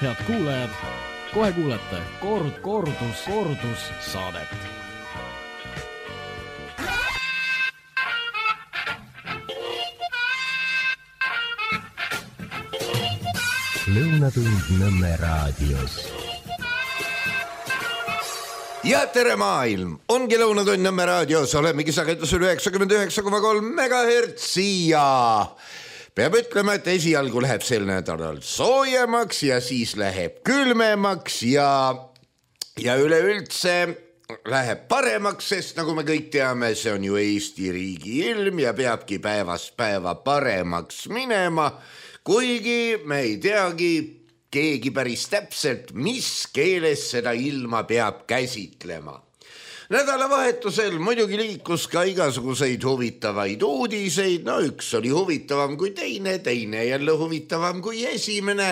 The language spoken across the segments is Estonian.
Head kuulajad, kohe kuulete kordus saadet. Lõunatund Nõmme raadios. Ja tere maailm, ongi Lõunatund Nõmme raadios, olemegi sagedusel 99,3 MHz ja peab ütlema, et esialgu läheb sel nädalal soojemaks ja siis läheb külmemaks ja üleüldse läheb paremaks, sest nagu me kõik teame, see on ju Eesti riigi ilm ja peabki päevast päeva paremaks minema, kuigi me ei teagi keegi päris täpselt, mis keeles seda ilma peab käsitlema. Nädalavahetusel muidugi liikus ka igasuguseid huvitavaid uudiseid, no üks oli huvitavam kui teine jälle huvitavam kui esimene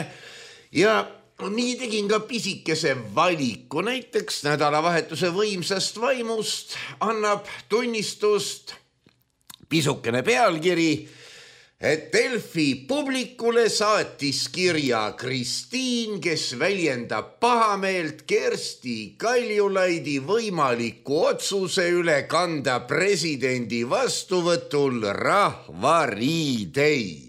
ja nii tegin ka pisikese valiku, näiteks nädalavahetuse võimsast vaimust annab tunnistust pisukene pealkiri, et Delfi publikule saatis kirja Kristiin, kes väljendab pahameelt Kersti Kaljulaidi võimaliku otsuse üle kanda presidendi vastuvõtul rahvariideid.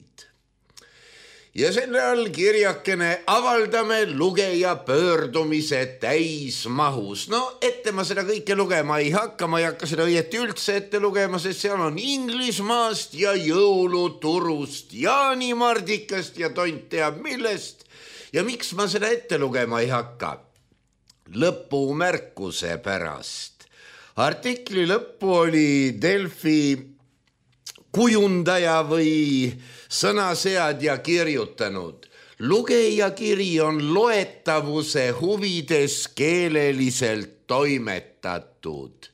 Ja selle all kirjakene avaldame lugeja pöördumise täismahus. No ette ma seda kõike lugema ei hakka, ma ei hakka seda õieti üldse ette lugema, sest seal on Inglismaast ja jõuluturust, jaanimardikast ja tont teab millest. Ja miks ma seda ette lugema ei hakka? Lõpumärkuse pärast. Artikli lõppu oli Delfi kujundaja või sõnaseadja kirjutanud. Lugeja kiri on loetavuse huvides keeleliselt toimetatud.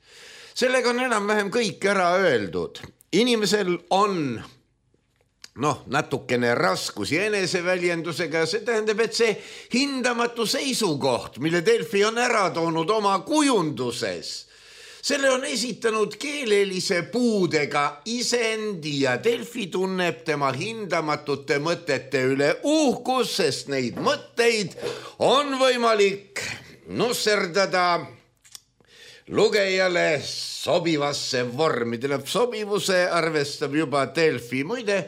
Sellega on enam-vähem kõik ära öeldud. Inimesel on natukene raskusi eneseväljendusega ja see tähendab, et see hindamatu seisukoht, mille Delfi on ära toonud oma kujunduses, selle on esitanud keelelise puudega isendi ja Delfi tunneb tema hindamatute mõtete üle uhkus, sest neid mõtteid on võimalik nusserdada lugejale sobivasse vormi. Tähendab, sobivuse arvestab juba Delfi. Muide,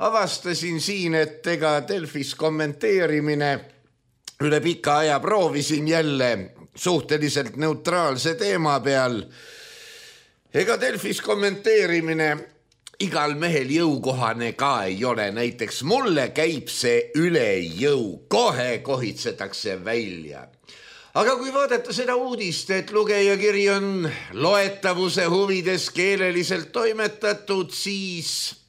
avastasin siin, et ega Delfis kommenteerimine üle pika aja proovisin jälle suhteliselt neutraalse teema peal. Ega Delfis kommenteerimine igal mehel jõukohane ka ei ole. Näiteks mulle käib see üle jõu, kohe kohitsetakse välja. Aga kui vaadata seda uudist, et lugejakiri on loetavuse huvides keeleliselt toimetatud, siis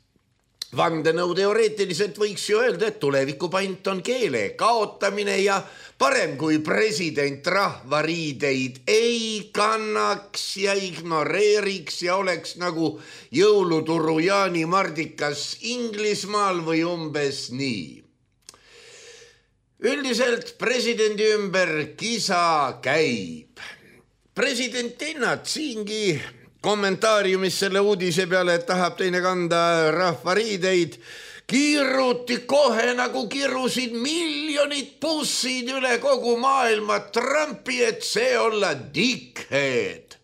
vandenõuteoreetiliselt võiks ju öelda, et tulevikupant on keele kaotamine ja parem kui president rahvariideid ei kannaks ja ignoreeriks ja oleks nagu jõuluturu jaanimardikas Inglismaal või umbes nii. Üldiselt presidendi ümber kisa käib. President ennat siingi kommentaariumis selle uudise peale, et tahab teine kanda rahvariideid, kiiruti kohe nagu kirusid miljonid bussid üle kogu maailma Trumpi, et see olla dickhead.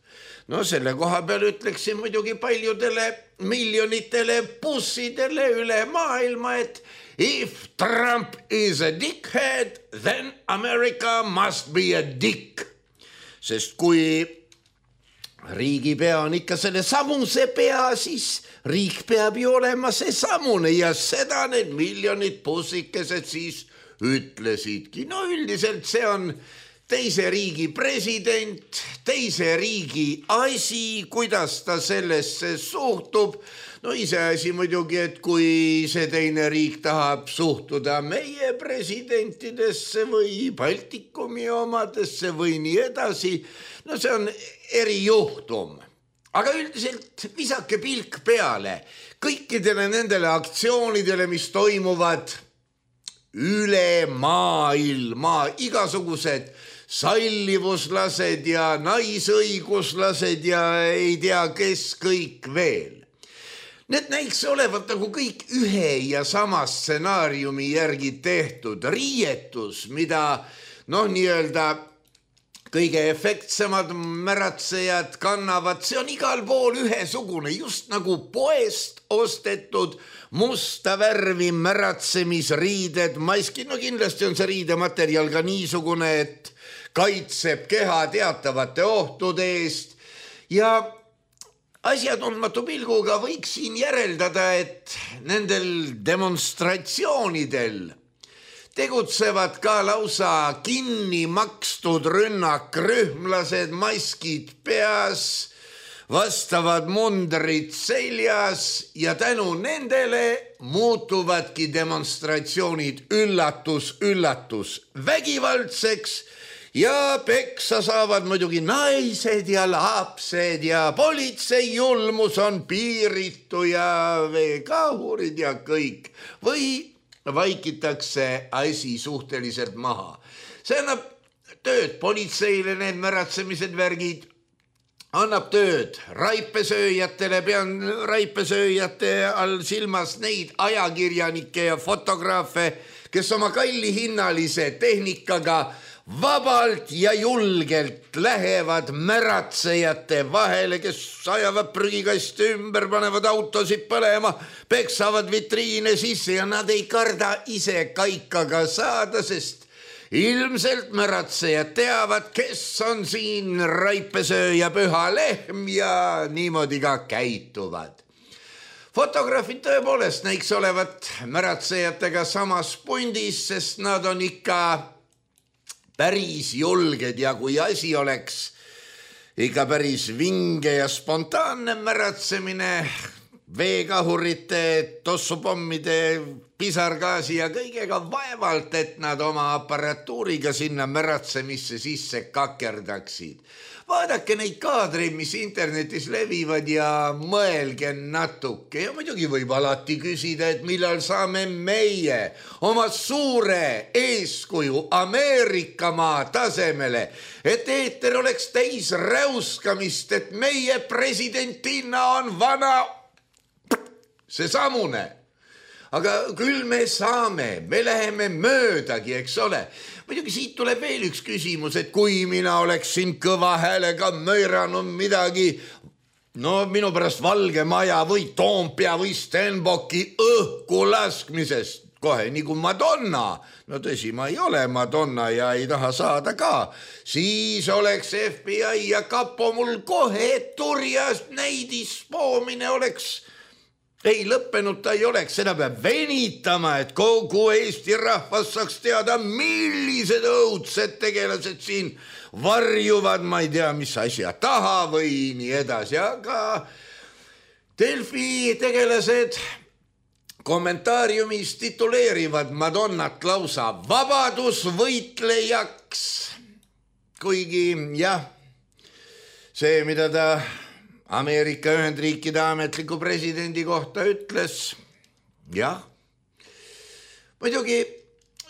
No selle koha peal ütleksin muidugi paljudele miljonitele bussidele üle maailma, et if Trump is a dickhead, then America must be a dick. Sest kui riigipea on ikka selle samuse pea, siis riik peab ju olema see samune ja seda need miljonid bussikesed siis ütlesidki. No üldiselt see on teise riigi president, teise riigi asi, kuidas ta sellesse suhtub. No iseasi muidugi, et kui see teine riik tahab suhtuda meie presidentidesse või Baltikumi omadesse või nii edasi, no see on erijuhtum. Aga üldiselt visake pilk peale kõikidele nendele aktsioonidele, mis toimuvad üle maailma, igasugused sallivuslased ja naisõiguslased ja ei tea kes kõik veel. Need näiks olevat nagu kõik ühe ja sama stsenaariumi järgi tehtud. Riietus, mida nii-öelda kõige efektsemad märatsejad kannavad, see on igal pool ühesugune, just nagu poest ostetud musta värvi märatsemisriided, maski. Kindlasti on see riidematerjal ka niisugune, et kaitseb keha teatavate ohtude eest ja asjatundmatu pilguga võiks siin järeldada, et nendel demonstratsioonidel tegutsevad ka lausa kinni makstud rünnakrühmlased, maskid peas, vastavad mundrid seljas ja tänu nendele muutuvadki demonstratsioonid üllatus vägivaldseks ja peksa saavad muidugi naised ja lapsed ja politsei julmus on piiritu ja veekahurid ja kõik. Või vaikitakse asi suhteliselt maha. See annab tööd politseile, need märatsemised värgid, annab tööd raipesööjatele, pean raipesööjate all silmas neid ajakirjanikke ja fotograafe, kes oma kallihinnalise tehnikaga vabalt ja julgelt lähevad märatsejate vahele, kes ajavad prügikaste ümber, panevad autosid põlema, peksavad vitriine sisse ja nad ei karda ise kaikaga saada, sest ilmselt märatsejad teavad, kes on siin raipesööja püha lehm ja niimoodi ka käituvad. Fotograafid tõepoolest näiks olevat märatsejatega samas pundis, sest nad on ikka päris julged ja kui asi oleks ikka päris vinge ja spontaanne märatsemine, veekahurite, tossupommide, pisargaasi ja kõigega vaevalt, et nad oma aparatuuriga sinna märatsemisse sisse kakerdaksid. Vaadake neid kaadreid, mis internetis levivad ja mõelge natuke. Ja muidugi võib alati küsida, et millal saame meie oma suure eeskuju Ameerikamaa tasemele, et eeter oleks täis räuskamist, et meie presidentina on vana seesamune. Aga küll me saame, me läheme möödagi, eks ole. Muidugi siit tuleb veel üks küsimus, et kui mina oleksin kõva häälega möiranud midagi, minu pärast Valge Maja või Toompea või Stenbocki õhku laskmisest, kohe nii kui Madonna, tõsi, ma ei ole Madonna ja ei taha saada ka, siis oleks FBI ja kapo mul kohe turjas, näidispoomine oleks ei lõppenud, ta ei oleks, seda peab venitama, et kogu Eesti rahvas saaks teada, millised õudsed tegelased siin varjuvad, ma ei tea, mis asja taha või nii edasi, aga Delfi tegelased kommentaariumis tituleerivad Madonnat lausa vabadusvõitlejaks, kuigi jah, see, mida ta Ameerika Ühendriikide ametliku presidendi kohta ütles, jah. Muidugi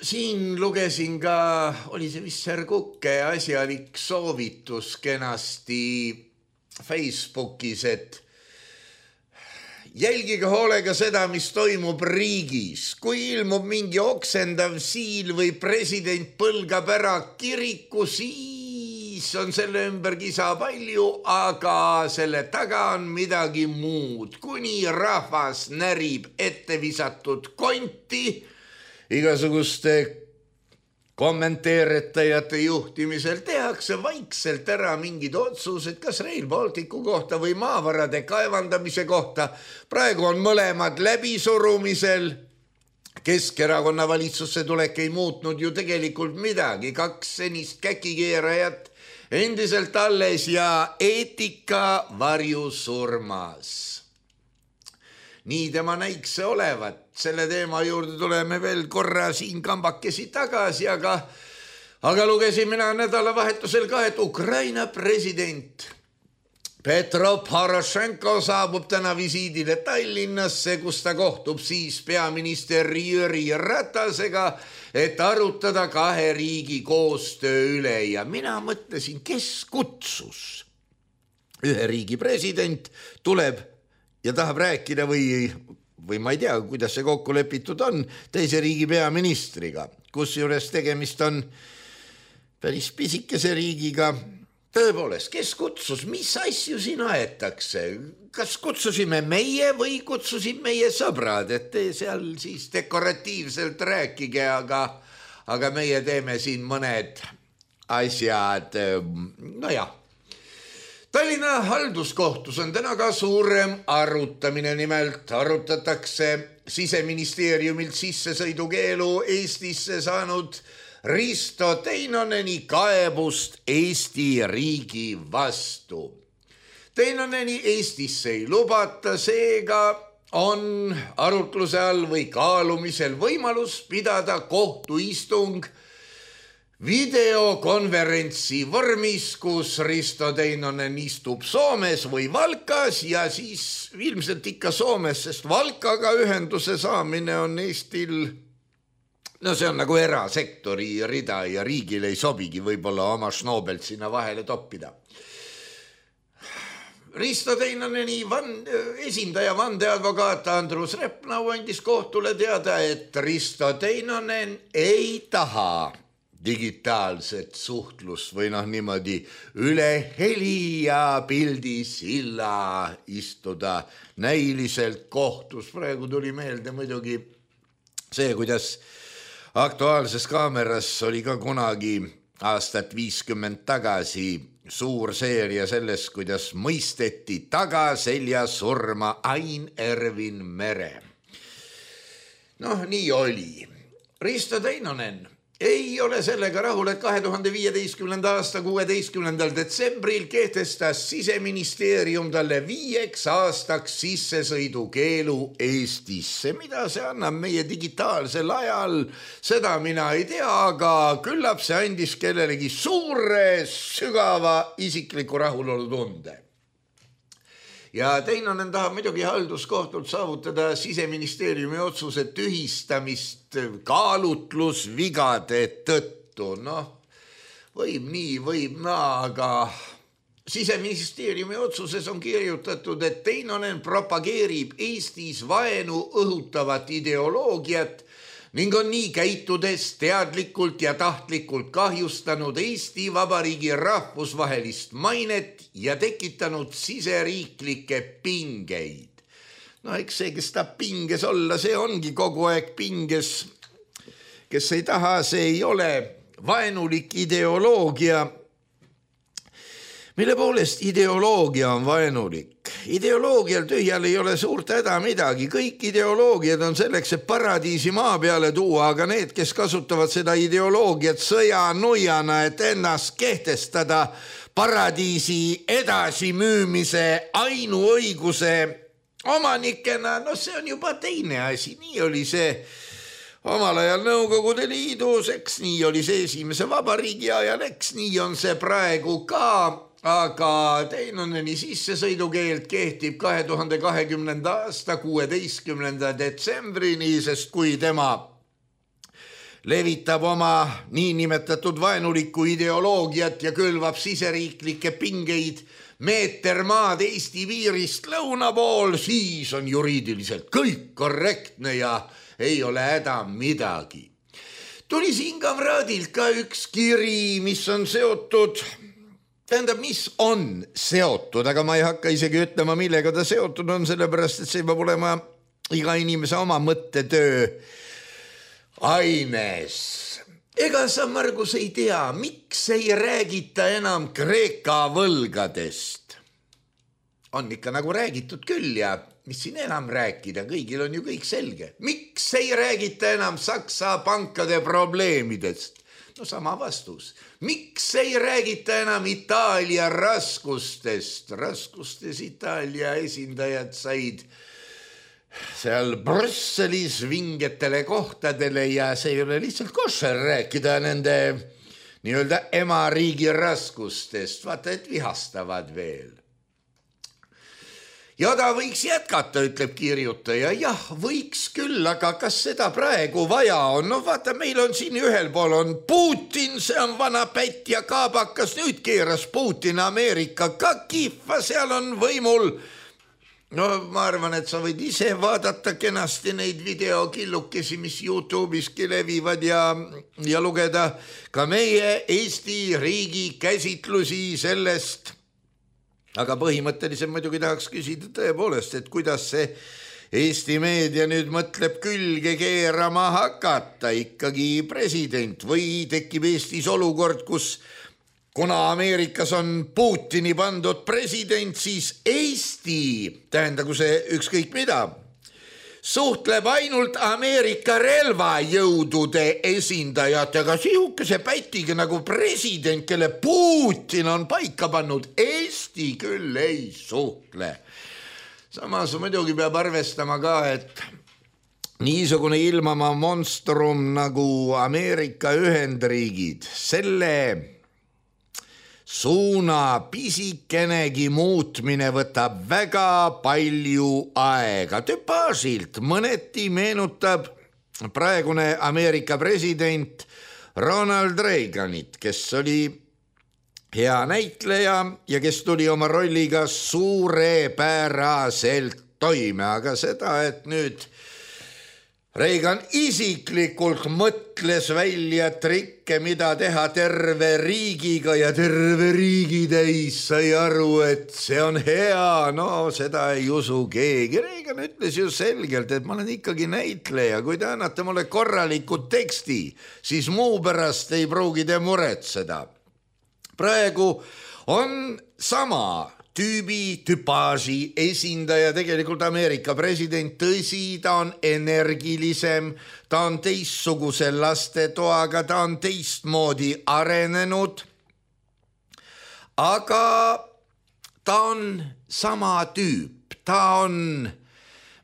siin lugesin ka, oli see vist Serguke asjalik soovitus kenasti Facebookis, et jälgige hoolega seda, mis toimub riigis. Kui ilmub mingi oksendav siil või president põlgab ära kiriku, siis on selle ümber kisa palju, aga selle taga on midagi muud. Kuni rahvas närib ette visatud konti, igasuguste kommenteeritajate juhtimisel tehakse vaikselt ära mingid otsused, kas Rail Balticu kohta või maavarade kaevandamise kohta. Praegu on mõlemad läbisurumisel. Keskerakonna valitsusse tulek ei muutnud ju tegelikult midagi. 2 senist käkikeerajat endiselt alles ja eetika varjusurmas. Nii tema näiks see olevat. Selle teema juurde tuleme veel korra siin kambakesi tagasi, aga lugesin mina nädalavahetusel ka, et Ukraina president Petro Porošenko saabub täna visiidile Tallinnasse, kus ta kohtub siis peaminister Jüri Ratasega, et arutada 2 riigi koostöö üle. Ja mina mõtlesin, kes kutsus? Ühe riigi president tuleb ja tahab rääkida või ma ei tea, kuidas see kokku lepitud on, teise riigi peaministriga, kusjuures tegemist on päris pisikese riigiga. Tõepoolest, kes kutsus, mis asju siin aetakse? Kas kutsusime meie või kutsusid meie sõbrad, et te seal siis dekoratiivselt rääkige, aga meie teeme siin mõned asjad. No jah. Tallinna halduskohtus on täna ka suurem arutamine, nimelt arutatakse Siseministeeriumilt sissesõidukeelu Eestisse saanud Risto Teinoneni kaebust Eesti riigi vastu. Teinoneni Eestisse ei lubata, seega on arutluse all või kaalumisel võimalus pidada kohtuistung videokonverentsi vormis, kus Risto Teinonen istub Soomes või Valkas ja siis ilmselt ikka Soomes, sest Valkaga ühenduse saamine on Eestil, no see on nagu erasektori rida ja riigil ei sobigi võib-olla oma Schnobelt sinna vahele toppida. Risto Teinoneni esindaja vandeadvokaat Andrus Repnau andis kohtule teada, et Risto Teinonen ei taha digitaalset suhtlust või niimoodi üle heli ja pildi silla istuda näiliselt kohtus. Praegu tuli meelde muidugi see, kuidas Aktuaalses Kaameras oli ka kunagi aastat 50 tagasi suur seeria sellest, kuidas mõisteti tagaselja surma Ain Ervin Mere. Noh, nii oli. Risto Teinonen ei ole sellega rahul, et 2015. aasta 16. detsembril kehtestas Siseministeerium talle 5 aastaks sissesõidukeelu Eestisse. Mida see annab meie digitaalsel ajal, seda mina ei tea, aga küllap see andis kellelegi suure, sügava isikliku rahulolu tunde. Ja Teinonen tahab muidugi halduskohtult saavutada Siseministeeriumi otsuse tühistamist kaalutlusvigade tõttu. Noh, võib nii, võib naa, aga Siseministeeriumi otsuses on kirjutatud, et Teinonen propageerib Eestis vaenu õhutavat ideoloogiat ning on nii käitudes teadlikult ja tahtlikult kahjustanud Eesti Vabariigi rahvusvahelist mainet ja tekitanud siseriiklikke pingeid. No eks see, kes tahab pinges olla, see ongi kogu aeg pinges. Kes ei taha, see ei ole vaenulik ideoloogia. Mille poolest ideoloogia on vaenulik? Ideoloogial tühjal ei ole suurt häda midagi. Kõik ideoloogiad on selleks, et paradiisi maa peale tuua, aga need, kes kasutavad seda ideoloogiat sõjanujana, et ennast kehtestada paradiisi edasimüümise ainuõiguse omanikena, no see on juba teine asi. Nii oli see omal ajal Nõukogude Liidus, eks nii oli see esimese vabariigi ajal, eks nii on see praegu ka. Aga Teinoneni sissesõidukeeld kehtib 2020. aasta 16. detsembrini, sest kui tema levitab oma niinimetatud vaenulikku ideoloogiat ja külvab siseriiklikke pingeid meeter maad Eesti piirist lõuna pool, siis on juriidiliselt kõik korrektne ja ei ole häda midagi. Tuli siin kamraadilt ka üks kiri, mis on seotud... Tähendab, mis on seotud, aga ma ei hakka isegi ütlema, millega ta seotud on, sellepärast, et see peab olema iga inimese oma mõttetöö aines. Ega sa, Margus, ei tea, miks ei räägita enam Kreeka võlgadest? On ikka nagu räägitud küll ja mis siin enam rääkida, kõigil on ju kõik selge. Miks ei räägita enam Saksa pankade probleemidest? No sama vastus. Miks ei räägita enam Itaalia raskustest? Raskustes Itaalia esindajad said seal Brüsselis vingetele kohtadele ja see ei ole lihtsalt košer rääkida nende nii-öelda emariigi raskustest. Vaata, et vihastavad veel. Ja ta võiks jätkata, ütleb kirjutaja. Jah, võiks küll, aga kas seda praegu vaja on? No vaata, meil on siin ühel pool on Putin, see on vana pätt ja kaabakas. Nüüd keeras Putin Ameerika ka kihva, seal on võimul no ma arvan, et sa võid ise vaadata kenasti neid videokillukesi, mis YouTube'iski levivad ja lugeda ka meie Eesti riigi käsitlusi sellest. Aga põhimõtteliselt muidugi tahaks küsida tõepoolest, et kuidas see Eesti meedia nüüd mõtleb külge keerama hakata ikkagi president või tekib Eestis olukord, kus kuna Ameerikas on Putini pandud president, siis Eesti, tähendagu see ükskõik mida, suhtleb ainult Ameerika relvajõudude esindajatega, sihukese pätiga nagu president, kelle Putin on paika pannud. Eesti küll ei suhtle. Samas muidugi peab arvestama ka, et niisugune ilmama monstrum nagu Ameerika Ühendriigid, selle suuna pisikenegi muutmine võtab väga palju aega. Tüpaažilt mõneti meenutab praegune Ameerika president Ronald Reaganit, kes oli hea näitleja ja kes tuli oma rolliga suurepäraselt toime, aga seda, et nüüd Reagan isiklikult mõtles välja trikke, mida teha terve riigiga ja terve riigi täis sai aru, et see on hea, no seda ei usu keegi. Reagan ütles ju selgelt, et ma olen ikkagi näitleja, kui te annate mulle korraliku teksti, siis muu pärast ei pruugi te muretseda. Praegu on sama tüüpaaži esindaja tegelikult Ameerika president, tõsi, ta on energilisem, ta on teistsuguse lastetoaga, ta on teistmoodi arenenud, aga ta on sama tüüp, ta on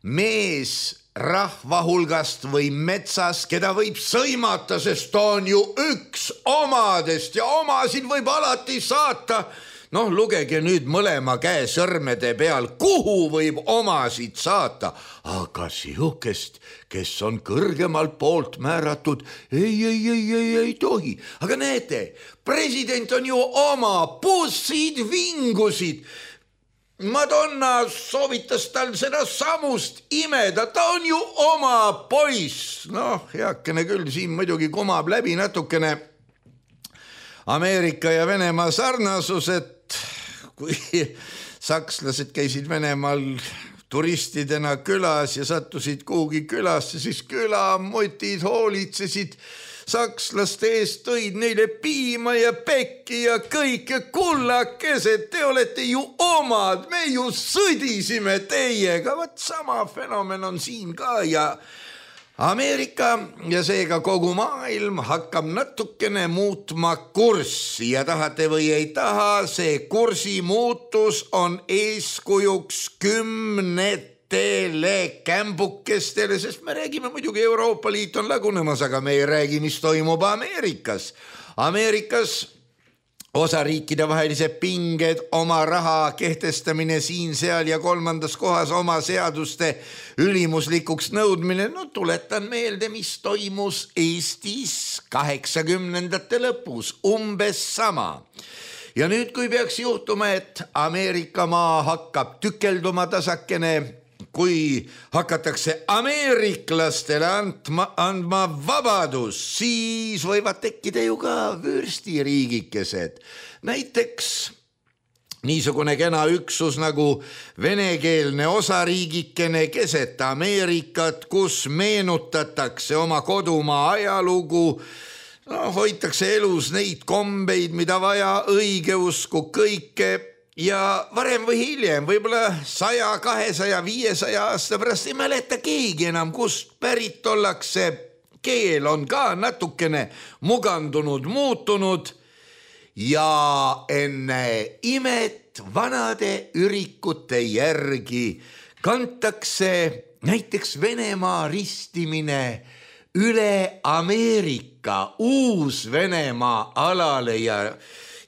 mees rahva hulgast või metsas, keda võib sõimata, sest ta on ju üks omadest ja omasid võib alati saata. Noh, lugege nüüd mõlema käe sõrmede peal, kuhu võib omasid saata, aga sihukest, kes on kõrgemalt poolt määratud, ei tohi. Aga näete, president on ju oma, bussid vingusid. Madonna soovitas tal seda samust imeda, ta on ju oma poiss. Noh, heakene küll, siin muidugi kumab läbi natukene Ameerika ja Venemaa sarnasus, et kui sakslased käisid Venemaal turistidena külas ja sattusid kuhugi külasse, siis külamutid hoolitsesid sakslaste eest, tõid neile piima ja pekki ja kõike kullakesed, te olete ju omad, me ju sõdisime teiega. Võt sama fenomen on siin ka ja Ameerika ja seega kogu maailm hakkab natukene muutma kurssi ja tahate või ei taha, see kursi muutus on eeskujuks kümnetele kämbukestele, sest me räägime muidugi Euroopa Liit on lagunemas, aga me ei räägi, mis toimub Ameerikas. Ameerikas osariikide vahelised pinged, oma raha kehtestamine siin, seal ja kolmandas kohas oma seaduste ülimuslikuks nõudmine. No tuletan meelde, mis toimus Eestis 80ndate lõpus, umbes sama. Ja nüüd, kui peaks juhtuma, et Ameerika maa hakkab tükelduma tasakene, kui hakatakse ameeriklastele andma vabadus, siis võivad tekkida ju ka vürstiriigikesed. Näiteks niisugune kena üksus nagu venekeelne osariigikene keset Ameerikat, kus meenutatakse oma kodumaa ajalugu, hoitakse elus neid kombeid, mida vaja, õigeusku kõike. Ja varem või hiljem, võib-olla 100, 200, 500 aasta pärast ei mäleta keegi enam, kust pärit ollakse. Keel on ka natukene mugandunud, muutunud ja enne imet vanade ürikute järgi kantakse näiteks Venemaa ristimine üle Ameerika, Uus-Venemaa alale ja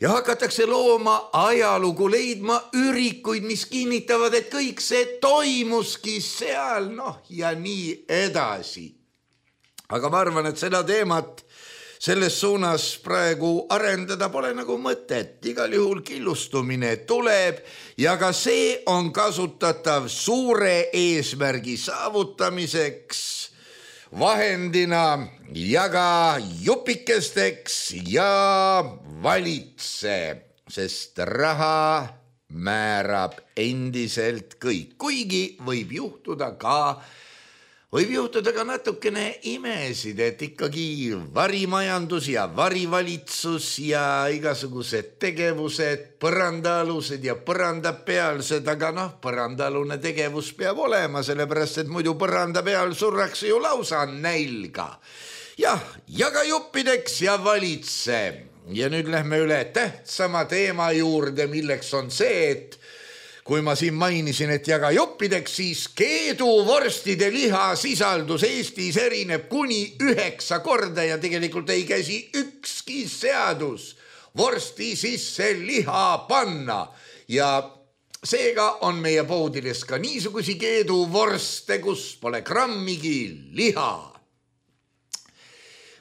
hakatakse looma ajalugu, leidma ürikuid, mis kinnitavad, et kõik see toimuski seal, ja nii edasi. Aga ma arvan, et seda teemat selles suunas praegu arendada pole nagu mõtet, igal juhul killustumine tuleb ja ka see on kasutatav suure eesmärgi saavutamiseks, vahendina ja ka jupikesteks ja valitse, sest raha määrab endiselt kõik, kuigi võib juhtuda ka natukene imesid, et ikkagi varimajandus ja varivalitsus ja igasugused tegevused, põrandaalused ja põrandapealsed, aga põrandaalune tegevus peab olema, sellepärast et muidu põranda peal surrakse ju lausa nälga. Jah, ja ka juppideks ja valitse. Ja nüüd lähme üle tähtsama teema juurde, milleks on see, et kui ma siin mainisin, et jaga juppideks, siis keeduvorstide liha sisaldus Eestis erineb kuni 9 korda ja tegelikult ei käsi ükski seadus vorsti sisse liha panna. Ja seega on meie poodides ka niisugusi keeduvorste, kus pole grammigi liha.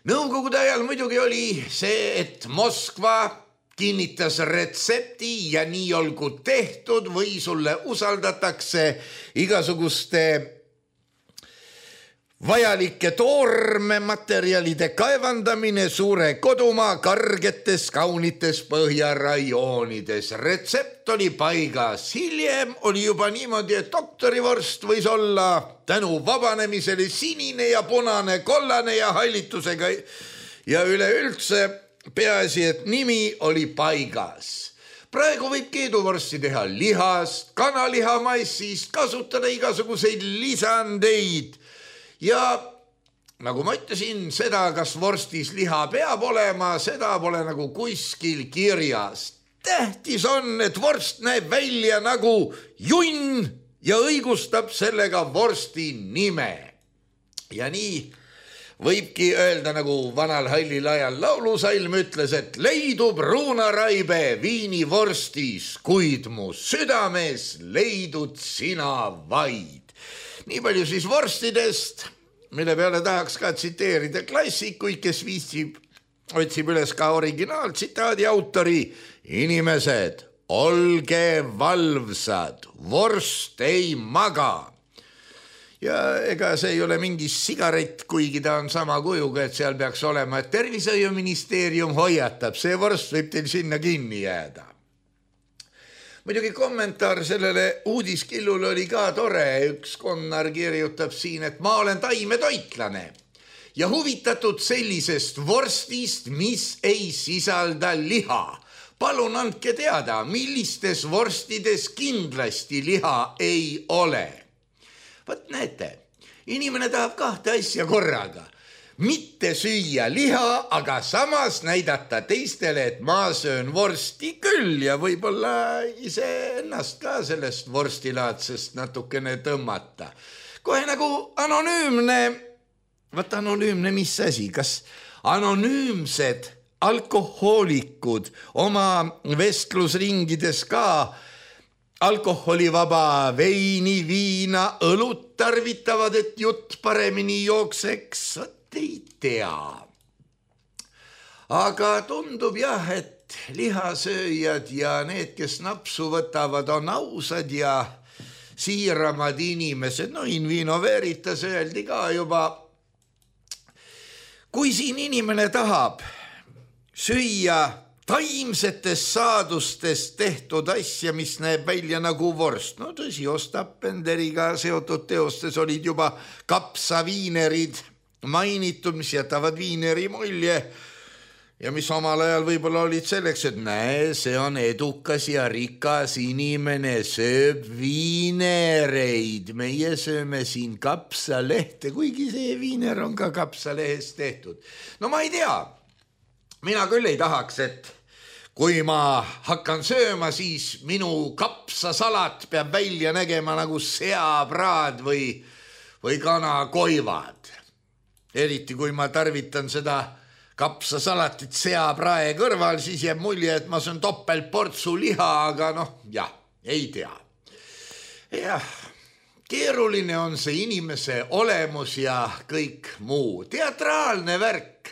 Nõukogude ajal muidugi oli see, et Moskva kinnitas retsepti ja nii olgu tehtud või sulle usaldatakse igasuguste vajalike toormematerjalide kaevandamine suure kodumaa kargetes kaunites põhjarajoonides. Retsept oli paigas. Hiljem oli juba niimoodi, et doktorivorst võis olla tänu vabanemisele sinine ja punane, kollane ja hallitusega ja üleüldse peaasi, et nimi oli paigas. Praegu võib keeduvorsti teha lihast, kanaliha maissist, kasutada igasuguseid lisandeid. Ja nagu ma ütlesin, seda, kas vorstis liha peab olema, seda pole nagu kuskil kirjas. Tähtis on, et vorst näeb välja nagu junn ja õigustab sellega vorsti nime. Ja nii võibki öelda, nagu vanal hallil ajal laulusalm ütles, et leidub ruunaraibe viinivorstis, kuid mu südames leidud sina vaid. Nii palju siis vorstidest, mille peale tahaks ka tsiteerida klassikuid, kes otsib üles ka originaaltsitaadi autori. Inimesed, olge valvsad, vorst ei maga. Ja ega see ei ole mingi sigaret, kuigi ta on sama kujuga, et seal peaks olema, et tervishoiuministeerium hoiatab, see vorst võib teil sinna kinni jääda. Muidugi kommentaar sellele uudiskillule oli ka tore. Üks konnar kirjutab siin, et ma olen taimetoitlane ja huvitatud sellisest vorstist, mis ei sisalda liha. Palun andke teada, millistes vorstides kindlasti liha ei ole. Võt näete, inimene tahab 2 asja korraga. Mitte süüa liha, aga samas näidata teistele, et ma söön vorsti küll ja võib-olla ise ennast ka sellest vorstilaadsest natukene tõmmata. Kohe nagu anonüümne, mis asi, kas anonüümsed alkohoolikud oma vestlusringides ka alkoholivaba veini, viina, õlut tarvitavad, et jutt paremini jookseks, ei tea. Aga tundub jah, et lihasööjad ja need, kes napsu võtavad, on ausad ja siiramad inimesed. No in vino veritas öeldi ka juba. Kui siin inimene tahab süüa taimsetest saadustest tehtud asja, mis näeb välja nagu vorst. No tõsi, Ostapenderiga seotud teostes olid juba kapsaviinerid mainitud, mis jätavad viineri mulje ja mis omal ajal võib-olla olid selleks, et näe, see on edukas ja rikas inimene, sööb viinereid. Meie sööme siin kapsalehte, kuigi see viiner on ka kapsalehest tehtud. No ma ei tea. Mina küll ei tahaks, et kui ma hakkan sööma, siis minu kapsasalat peab välja nägema nagu seapraad või kanakoivad. Eriti kui ma tarvitan seda kapsasalatit seaprae kõrval, siis jääb mulje, et ma söön topeltportsu liha, aga jah, ei tea. Jah, keeruline on see inimese olemus ja kõik muu. Teatraalne värk.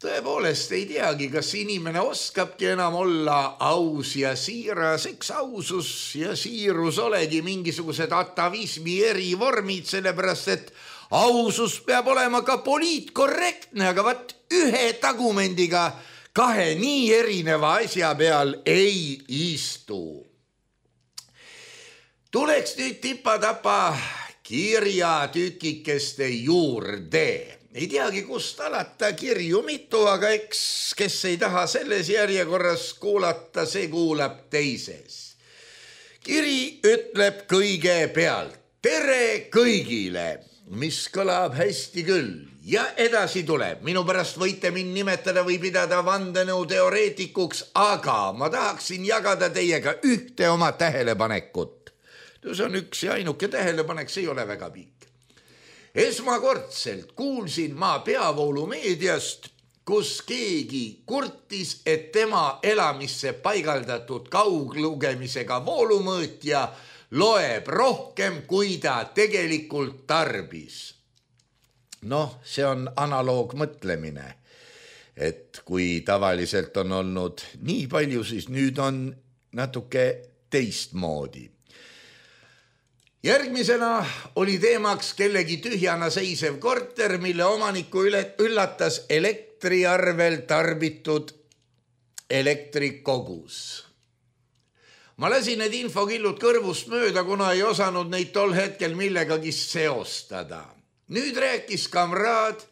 tõepoolest ei teagi, kas inimene oskabki enam olla aus ja siiras, eks ausus ja siirus olegi mingisugused atavismi erivormid, sellepärast et ausus peab olema ka poliitkorrektne, aga vaat ühe tagumendiga kahe nii erineva asja peal ei istu. Tuleks nüüd tipa-tapa kirjatükikeste juurde. Ei teagi, kust alata kirju mitu, aga eks, kes ei taha selles järjekorras kuulata, see kuulab teises. Kiri ütleb kõigepealt tere kõigile, mis kõlab hästi küll ja edasi tuleb. Minu pärast võite mind nimetada või pidada vandenõuteoreetikuks, aga ma tahaksin jagada teiega ühte oma tähelepanekut. See on üks ja ainuke tähelepanek, see ei ole väga pikk. Esmakordselt kuulsin ma peavoolumeediast, kus keegi kurtis, et tema elamisse paigaldatud kauglugemisega voolumõõtja loeb rohkem, kui ta tegelikult tarbis. Noh, see on analoogmõtlemine, et kui tavaliselt on olnud nii palju, siis nüüd on natuke teistmoodi. Järgmisena oli teemaks kellegi tühjana seisev korter, mille omaniku üllatas elektriarvel tarbitud elektrikogus. Ma lasin need infokillud kõrvust mööda, kuna ei osanud neid tol hetkel millegagi seostada. Nüüd rääkis kamraad,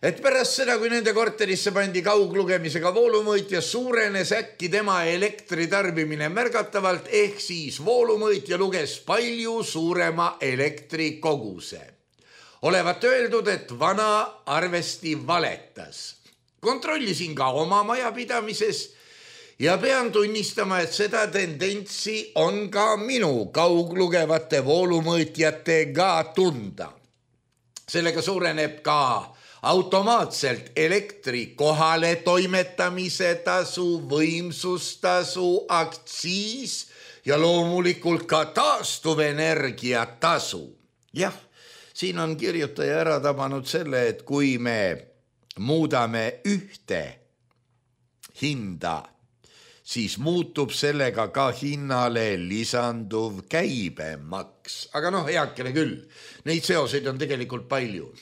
et pärast seda, kui nende korterisse pandi kauglugemisega voolumõõtja, suurenes äkki tema elektritarbimine märgatavalt, ehk siis voolumõõtja luges palju suurema elektrikoguse. Olevat öeldud, et vana arvesti valetas. Kontrollisin ka oma majapidamises ja pean tunnistama, et seda tendentsi on ka minu kauglugevate voolumõõtjatega tunda. Sellega suureneb ka automaatselt elektri kohale toimetamise tasu, võimsustasu, aktsiis ja loomulikult ka taastuvenergia tasu. Jah, siin on kirjutaja ära tabanud selle, et kui me muudame ühte hinda, siis muutub sellega ka hinnale lisanduv käibemaks. Aga heakene küll, neid seoseid on tegelikult palju.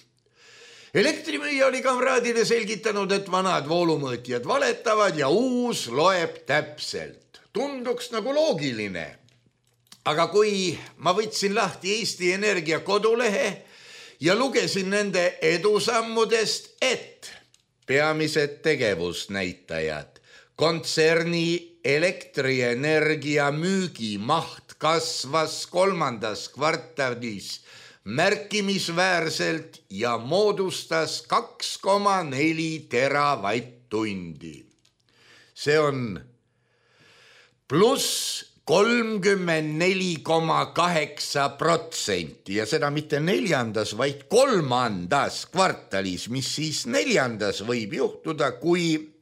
Elektrimüüja oli kamraadile selgitanud, et vanad voolumõõtjad valetavad ja uus loeb täpselt. Tunduks nagu loogiline. Aga kui ma võtsin lahti Eesti Energia kodulehe ja lugesin nende edusammudest, et peamised tegevusnäitajad, kontserni elektrienergia müügimaht kasvas 3. kvartalis märkimisväärselt ja moodustas 2,4 teravatt-tundi. See on pluss 34,8% ja seda mitte 4., vaid 3. kvartalis, mis siis 4. võib juhtuda, kui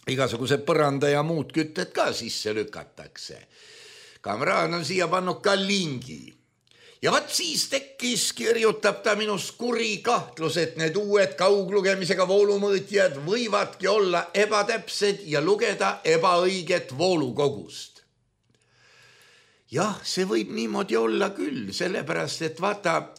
igasuguse põranda ja muud kütted ka sisse lükatakse. Kamraad on siia pannud ka lingi. Ja vaat siis tekkis, kirjutab ta minust kuri kahtlus, et need uued kauglugemisega voolumõõtjad võivadki olla ebatäpsed ja lugeda ebaõiget voolukogust. Jah, see võib niimoodi olla küll, sellepärast, et vaata,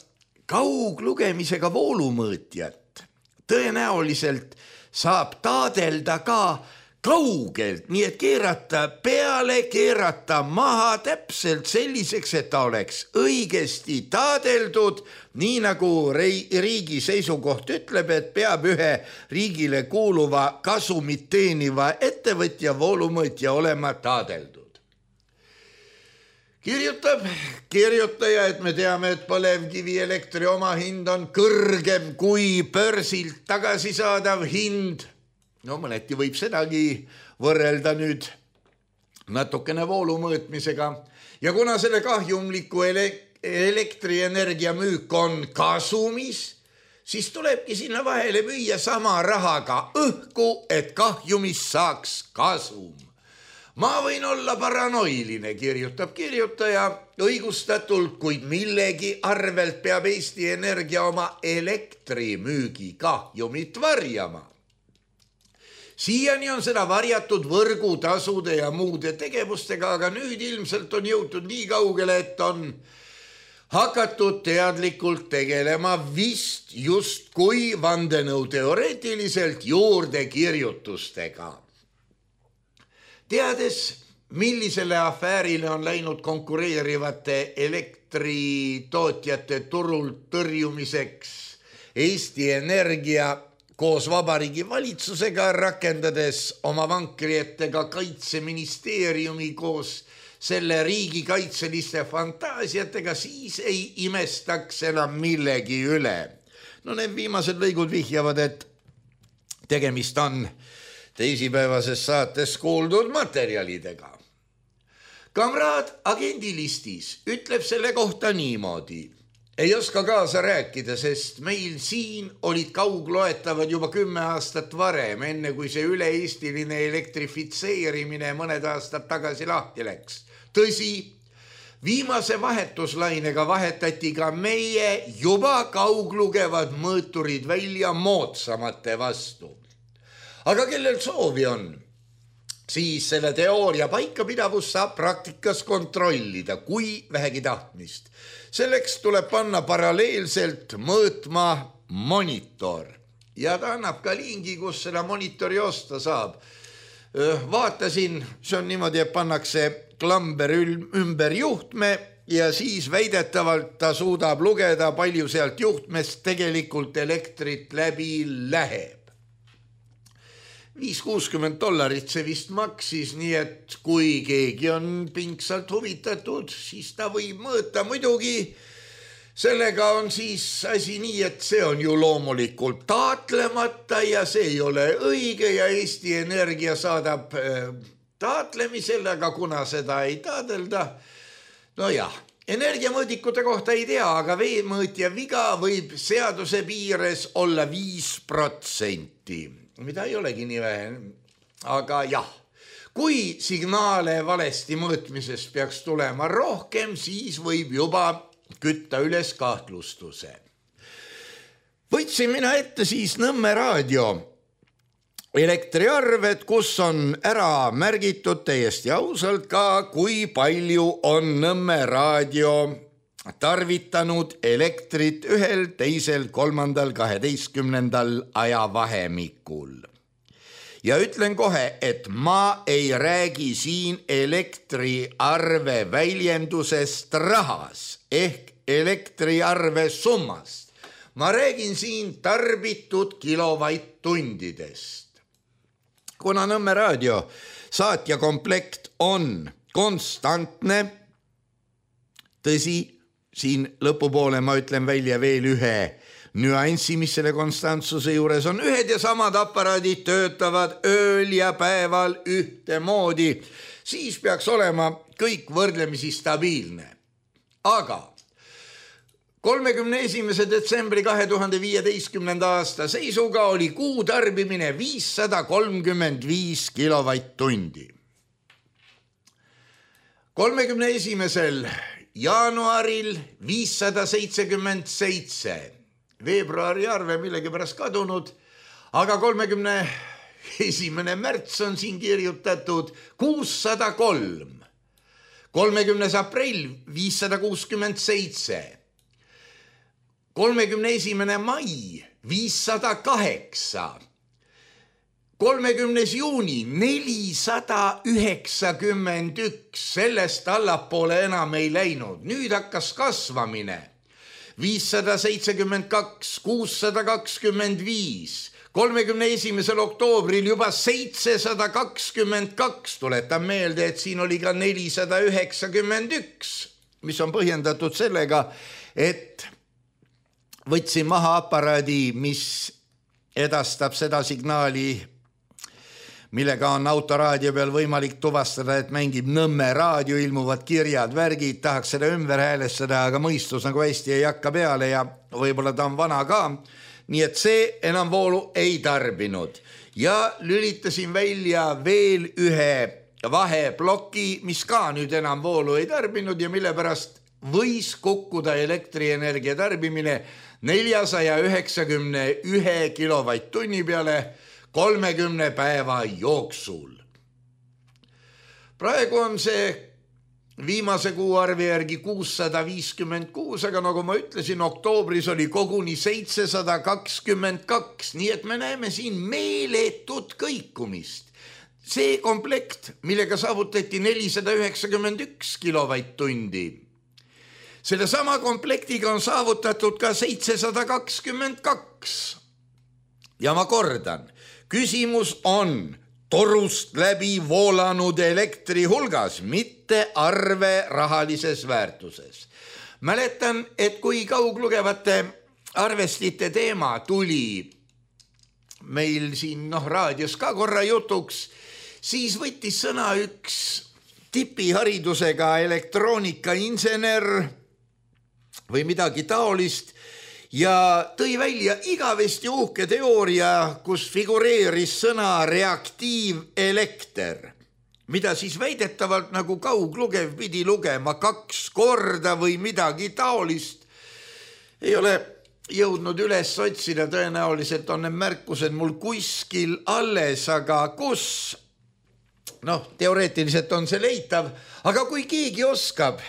kauglugemisega voolumõõtjat tõenäoliselt saab taadelda ka kaugelt, nii et keerata peale, keerata maha täpselt selliseks, et ta oleks õigesti taadeldud, nii nagu riigi seisukoht ütleb, et peab ühe riigile kuuluva kasumit teeniva ettevõtja voolumõõtja olema taadeldud. Kirjutab kirjutaja, et me teame, et põlevkivi elektri omahind on kõrgem kui börsilt tagasisaadav hind. Mõneti võib sedagi võrrelda nüüd natukene voolumõõtmisega. Ja kuna selle kahjumliku elektrienergia müük on kasumis, siis tulebki sinna vahele müüa sama rahaga õhku, et kahjumis saaks kasum. Ma võin olla paranoiline, kirjutab kirjutaja, õigustatult, kuid millegi arvelt peab Eesti Energia oma elektrimüügi kahjumit varjama. Siiani on seda varjatud võrgutasude ja muude tegevustega, aga nüüd ilmselt on jõutud nii kaugele, et on hakatud teadlikult tegelema vist justkui vandenõuteoreetiliselt juurdekirjutustega. Teades, millisele afäärile on läinud konkureerivate elektritootjate turult tõrjumiseks Eesti Energia koos Vabariigi valitsusega, rakendades oma vankri ette ka Kaitseministeeriumi koos selle riigikaitseliste fantaasiatega, siis ei imestaks enam millegi üle. No need viimased lõigud vihjavad, et tegemist on teisipäevases saates kuuldud materjalidega. Kamraad agendilistis ütleb selle kohta niimoodi. Ei oska kaasa rääkida, sest meil siin olid kaugloetavad juba 10 aastat varem, enne kui see üle-eestiline elektrifitseerimine mõned aastad tagasi lahti läks. Tõsi, viimase vahetuslainega vahetati ka meie juba kauglugevad mõõturid välja moodsamate vastu. Aga kellel soovi on, siis selle teooria paikapidavust saab praktikas kontrollida, kui vähegi tahtmist. Selleks tuleb panna paralleelselt mõõtma monitor ja ta annab ka lingi, kus seda monitori osta saab. Vaatasin, see on niimoodi, et pannakse klamber ümber juhtme ja siis väidetavalt ta suudab lugeda, palju sealt juhtmest tegelikult elektrit läbi läheb. $560 see vist maksis, nii et kui keegi on pingsalt huvitatud, siis ta võib mõõta. Muidugi sellega on siis asi nii, et see on ju loomulikult taatlemata ja see ei ole õige ja Eesti Energia saadab taatlemisele, aga kuna seda ei taadelda, no jah, energiamõõdikute kohta ei tea, aga veemõõtja viga võib seaduse piires olla 5%. Mida ei olegi nii vähe, aga jah, kui signaale valesti mõõtmisest peaks tulema rohkem, siis võib juba kütta üles kahtlustuse. Võtsin mina ette siis Nõmme raadio elektriarved, kus on ära märgitud täiesti ausalt ka, kui palju on Nõmme raadio tarvitanud elektrit 1., 2., 3., 12. ajavahemikul. Ja ütlen kohe, et ma ei räägi siin elektriarve väljendusest rahas ehk elektriarve summast. Ma räägin siin tarbitud kilovatt-tundidest. Kuna Nõmme raadio saatja komplekt on konstantne, tõsi, siin lõpupoole ma ütlen välja veel ühe nüanssi, mis selle konstantsuse juures on. Ühed ja samad aparaadid töötavad ööl ja päeval ühtemoodi, siis peaks olema kõik võrdlemisi stabiilne. Aga 31. detsembri 2015. aasta seisuga oli kuu tarbimine 535 kilovatt-tundi. 31. jaanuaril 577, veebruari arve millegipärast kadunud, aga 31. märts on siin kirjutatud 603, 30. aprill 567, 31. mai 508, 30. juuni 491, sellest allapoole enam ei läinud. Nüüd hakkas kasvamine. 572, 625, 31. oktoobril juba 722, tuletan meelde, et siin oli ka 491, mis on põhjendatud sellega, et võtsin maha aparaadi, mis edastab seda signaali, millega on autoraadio peal võimalik tuvastada, et mängib Nõmme raadio, ilmuvad kirjad, värgid, tahaks seda ümber häälestada, aga mõistus nagu hästi ei hakka peale ja võib-olla ta on vana ka. Nii et see enam voolu ei tarbinud. Ja lülitasin välja veel ühe vaheploki, mis ka nüüd enam voolu ei tarbinud ja mille pärast võis kukkuda elektrienergia tarbimine 491 kilovatt-tunni peale, 30 päeva jooksul. Praegu on see viimase kuuarvi järgi 656, aga nagu ma ütlesin, oktoobris oli koguni 722, nii et me näeme siin meeletut kõikumist. See komplekt, millega saavutati 491 kilovatt-tundi, selle sama komplektiga on saavutatud ka 722. Ja ma kordan, küsimus on torust läbi voolanud elektri hulgas, mitte arve rahalises väärtuses. Mäletan, et kui kauglugevate arvestite teema tuli meil siin raadios ka korra jutuks, siis võttis sõna üks tipiharidusega elektroonikainsener või midagi taolist ja tõi välja igavesti uhke teooria, kus figureeris sõna reaktiivelekter, mida siis väidetavalt nagu kauglugev pidi lugema 2 korda või midagi taolist. Ei ole jõudnud üles otsida, tõenäoliselt on need märkused mul kuskil alles, aga kus? Teoreetiliselt on see leitav, aga kui keegi oskab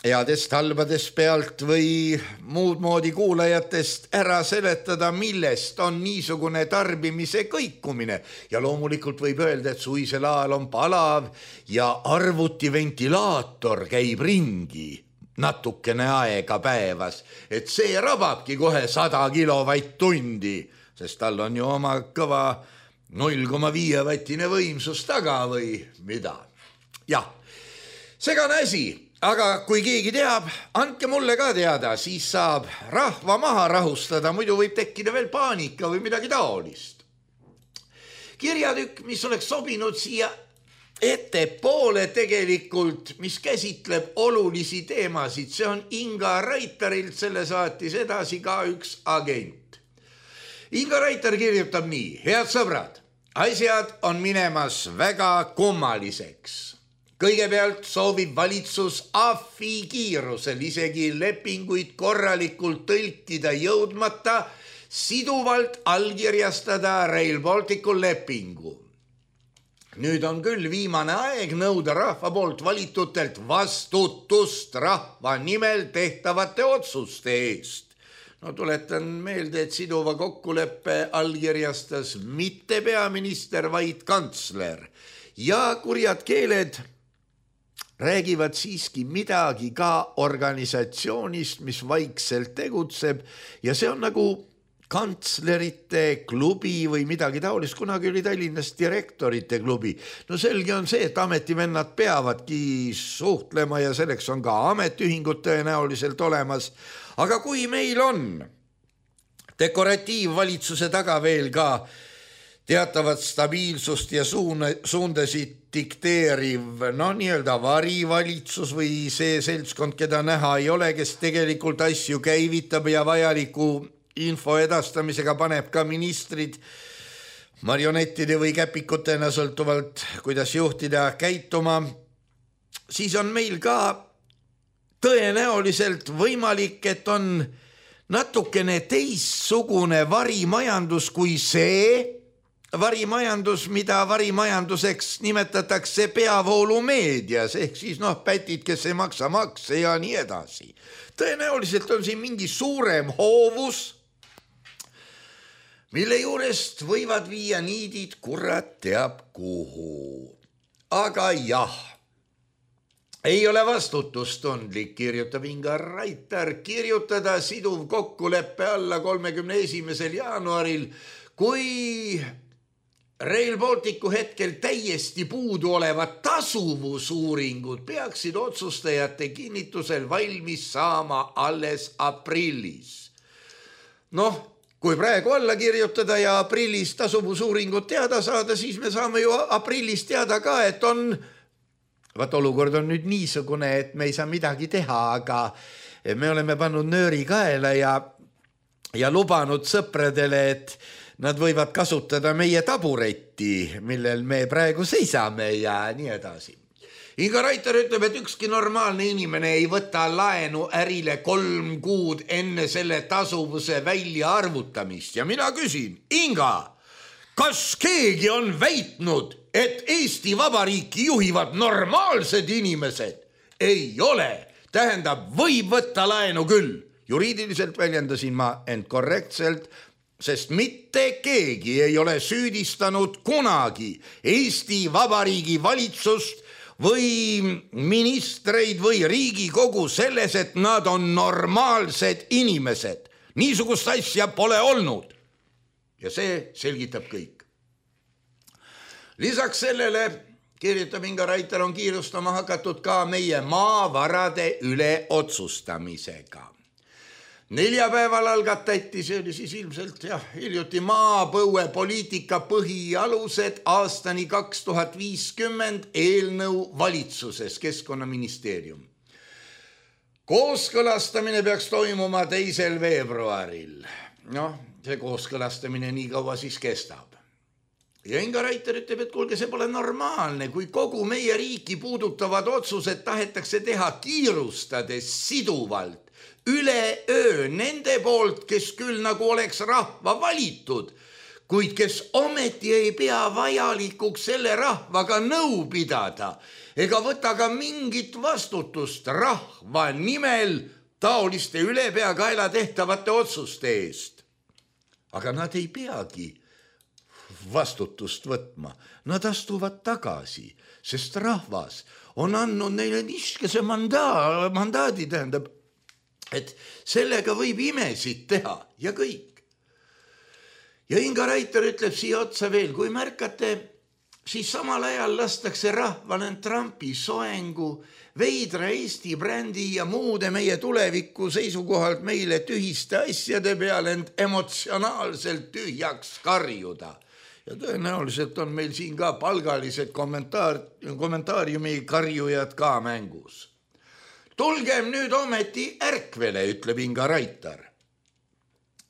headest halbadest pealt või muud moodi kuulajatest ära seletada, millest on niisugune tarbimise kõikumine. Ja loomulikult võib öelda, et suvisel ajal on palav ja arvutiventilaator käib ringi natukene aega päevas, et see rababki kohe 100 kilovatt-tundi, sest tal on ju oma kõva 0,5 vattine võimsus taga või mida. Jah, segane asi. Aga kui keegi teab, andke mulle ka teada, siis saab rahva maha rahustada, muidu võib tekkida veel paanika või midagi taolist. Kirjatükk, mis oleks sobinud siia ettepoole tegelikult, mis käsitleb olulisi teemasid, see on Inga Raitarilt, selle saatis edasi ka üks agent. Inga Raitar kirjutab nii: head sõbrad, asjad on minemas väga kummaliseks. Kõigepealt soovib valitsus AFI kiirusel isegi lepinguid korralikult tõlkida jõudmata siduvalt allkirjastada Rail Balticu lepingu. Nüüd on küll viimane aeg nõuda rahva poolt valitutelt vastutust rahva nimel tehtavate otsuste eest. Tuletan meelde, et siduva kokkuleppe allkirjastas mitte peaminister, vaid kantsler. Ja kurjad keeled räägivad siiski midagi ka organisatsioonist, mis vaikselt tegutseb ja see on nagu kantslerite klubi või midagi taolist, kunagi oli Tallinnas direktorite klubi. Selge on see, et ametivennad peavadki suhtlema ja selleks on ka ametiühingud tõenäoliselt olemas. Aga kui meil on dekoratiivvalitsuse taga veel ka teatavat stabiilsust ja suundasid dikteeriv, nii-öelda varivalitsus või see seltskond, keda näha ei ole, kes tegelikult asju käivitab ja vajaliku info edastamisega paneb ka ministrid marionettide või käpikutena sõltuvalt, kuidas juhtida käituma, siis on meil ka tõenäoliselt võimalik, et on natukene teistsugune varimajandus kui see varimajandus, mida varimajanduseks nimetatakse peavoolumeedias, ehk siis pätid, kes ei maksa makse ja nii edasi. Tõenäoliselt on siin mingi suurem hoovus, mille juurest võivad viia niidid kurat teab kuhu. Aga jah, ei ole vastutustundlik, kirjutab Inga Raitar, kirjutada siduv kokkuleppe alla 31. jaanuaril, kui Rail Balticu hetkel täiesti puudu olevad tasuvusuuringud peaksid otsustajate kinnitusel valmis saama alles aprillis. Kui praegu alla kirjutada ja aprillis tasuvusuuringud teada saada, siis me saame ju aprillis teada ka, et olukord on nüüd niisugune, et me ei saa midagi teha, aga me oleme pannud nööri kaela ja lubanud sõpradele, et nad võivad kasutada meie taburetti, millel me praegu seisame ja nii edasi. Inga Raitar ütleb, et ükski normaalne inimene ei võta laenu ärile 3 kuud enne selle tasuvuse välja arvutamist. Ja mina küsin, Inga, Kas keegi on väitnud, et Eesti Vabariiki juhivad normaalsed inimesed? Ei ole. Tähendab, võib võtta laenu küll. Juriidiliselt väljendasin ma end korrektselt, sest mitte keegi ei ole süüdistanud kunagi Eesti Vabariigi valitsust või ministreid või Riigikogu selles, et nad on normaalsed inimesed. Niisugust asja pole olnud. Ja see selgitab kõik. Lisaks sellele, kirjutab Inga Raiter, on kiirustama hakatud ka meie maavarade üle otsustamisega. Neljapäeval algatati, see oli siis ilmselt hiljuti maapõuepoliitika põhialused aastani 2050 eelnõu valitsuses, Keskkonnaministeerium. Kooskõlastamine peaks toimuma 2. veebruaril. See kooskõlastamine nii kaua siis kestab. Ja Inga Raiter ütleb, et kuulge, see pole normaalne, kui kogu meie riiki puudutavad otsused tahetakse teha kiirustades siduvalt. Üleöö nende poolt, kes küll nagu oleks rahva valitud, kuid kes ometi ei pea vajalikuks selle rahvaga nõu pidada ega võta ka mingit vastutust rahva nimel taoliste ülepeakaela tehtavate otsuste eest. Aga nad ei peagi vastutust võtma, nad astuvad tagasi, sest rahvas on andnud neile niskese mandaadi, tähendab, et sellega võib imesid teha ja kõik. Ja Inga Raiter ütleb siia otsa veel, kui märkate, siis samal ajal lastakse rahval end Trumpi soengu, veidra Eesti brändi ja muude meie tuleviku seisukohalt meile tühiste asjade peale end emotsionaalselt tühjaks karjuda. Ja tõenäoliselt on meil siin ka palgalised kommentaariumi karjujad ka mängus. Tulgem nüüd ometi ärkvele, ütleb Inga Raiter.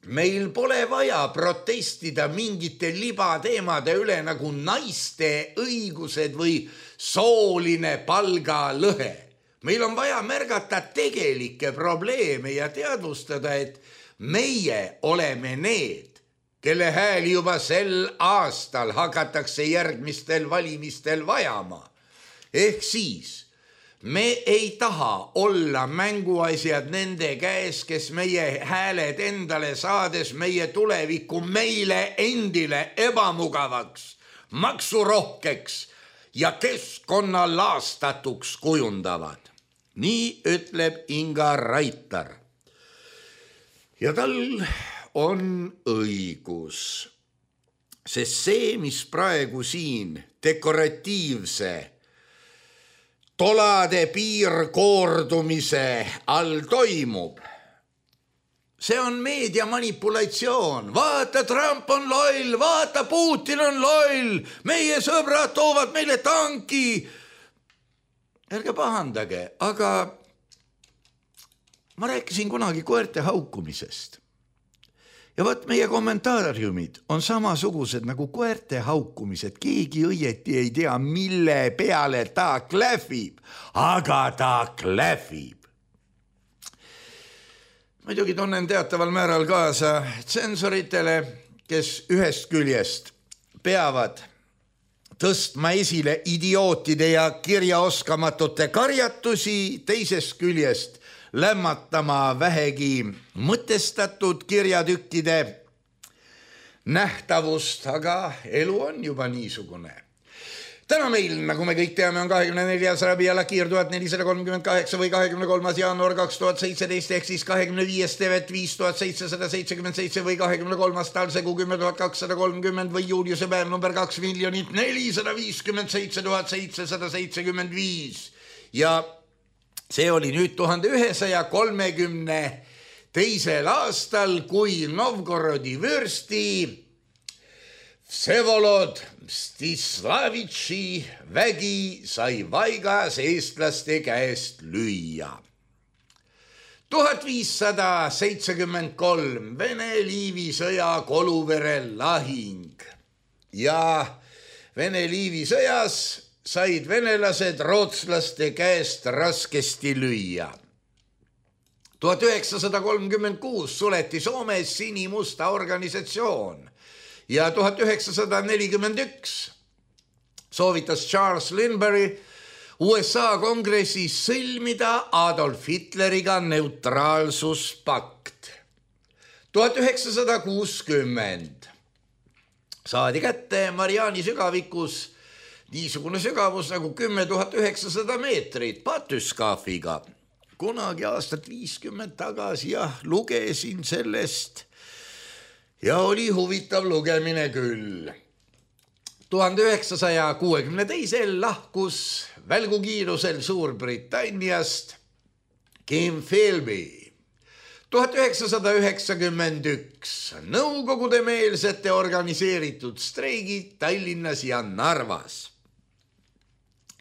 Meil pole vaja protestida mingite libateemade üle nagu naiste õigused või sooline palgalõhe. Meil on vaja märgata tegelikke probleeme ja teadvustada, et meie oleme need, kelle hääli juba sel aastal hakatakse järgmistel valimistel vajama. Ehk siis me ei taha olla mänguasjad nende käes, kes meie hääled endale saades meie tulevikku meile endile ebamugavaks, maksurohkeks ja keskkonna laastatuks kujundavad. Nii ütleb Inga Raiter. Ja tal on õigus, sest see, mis praegu siin dekoratiivse tolade piirkoordumise all toimub. See on meedia manipulatsioon. Vaata, Trump on loll, vaata, Putin on loll, meie sõbrad toovad meile tanki. Ärge pahandage, aga ma rääkisin kunagi koerte haukumisest. Ja võt meie kommentaariumid on samasugused nagu koerte haukumised. Keegi õieti ei tea, mille peale ta klähvib, aga ta klähvib. Muidugi tunnen teataval määral kaasa tsensoritele, kes ühest küljest peavad tõstma esile idiootide ja kirjaoskamatute karjatusi, teisest küljest lämmatama vähegi mõtestatud kirjatükkide nähtavust, aga elu on juba niisugune. Täna meil, nagu me kõik teame, on 24. Rabi Alakiir 1438 või 23. jaanuar 2017 ehk siis 25. tevet 5777 või 23. talsegu 10230 või Juliuse päev number 2 457 775 ja see oli nüüd 1132. aastal, kui Novgorodi vürsti Vsevolod Mstislavitši vägi sai Vaigas eestlaste käest lüüa. 1573 Vene-Liivi sõja Koluvere lahing ja Vene-Liivi sõjas said venelased rootslaste käest raskesti lüüa. 1936 suleti Soomes sinimusta organisatsioon ja 1941 soovitas Charles Lindbergh USA kongressis sõlmida Adolf Hitleriga neutraalsuspakt. 1960 saadi kätte Mariani sügavikus niisugune sügavus nagu 10 900 meetrit batüskaafiga. Kunagi aastat 50 tagasi lugesin sellest ja oli huvitav lugemine küll. 1962 lahkus välgukiirusel Suurbritanniast Kim Philby. 1991 nõukogudemeelsete organiseeritud streigid Tallinnas ja Narvas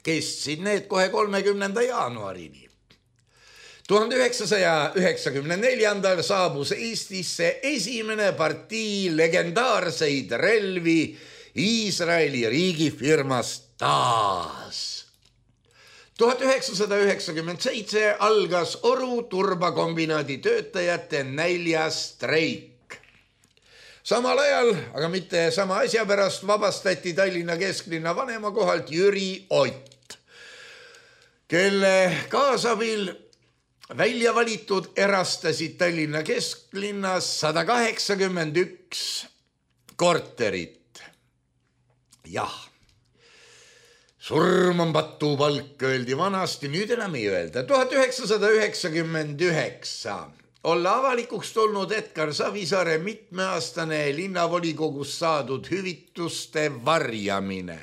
kestsid need kohe 30. jaanuarini. 1994 saabus Eestisse esimene partii legendaarseid relvi Iisraeli riigifirmast TAAS. 1997 algas Oru turbakombinaadi töötajate näljastreik. Samal ajal, aga mitte sama asja pärast, vabastati Tallinna kesklinna vanemakohalt Jüri Ott, kelle kaasabil välja valitud erastasid Tallinna kesklinnas 181 korterit. Jah, surm on patupalk, öeldi vanasti, nüüd enam ei öelda. 1999 olla avalikuks tulnud Edgar Savisaare mitmeaastane linnavolikogus saadud hüvituste varjamine.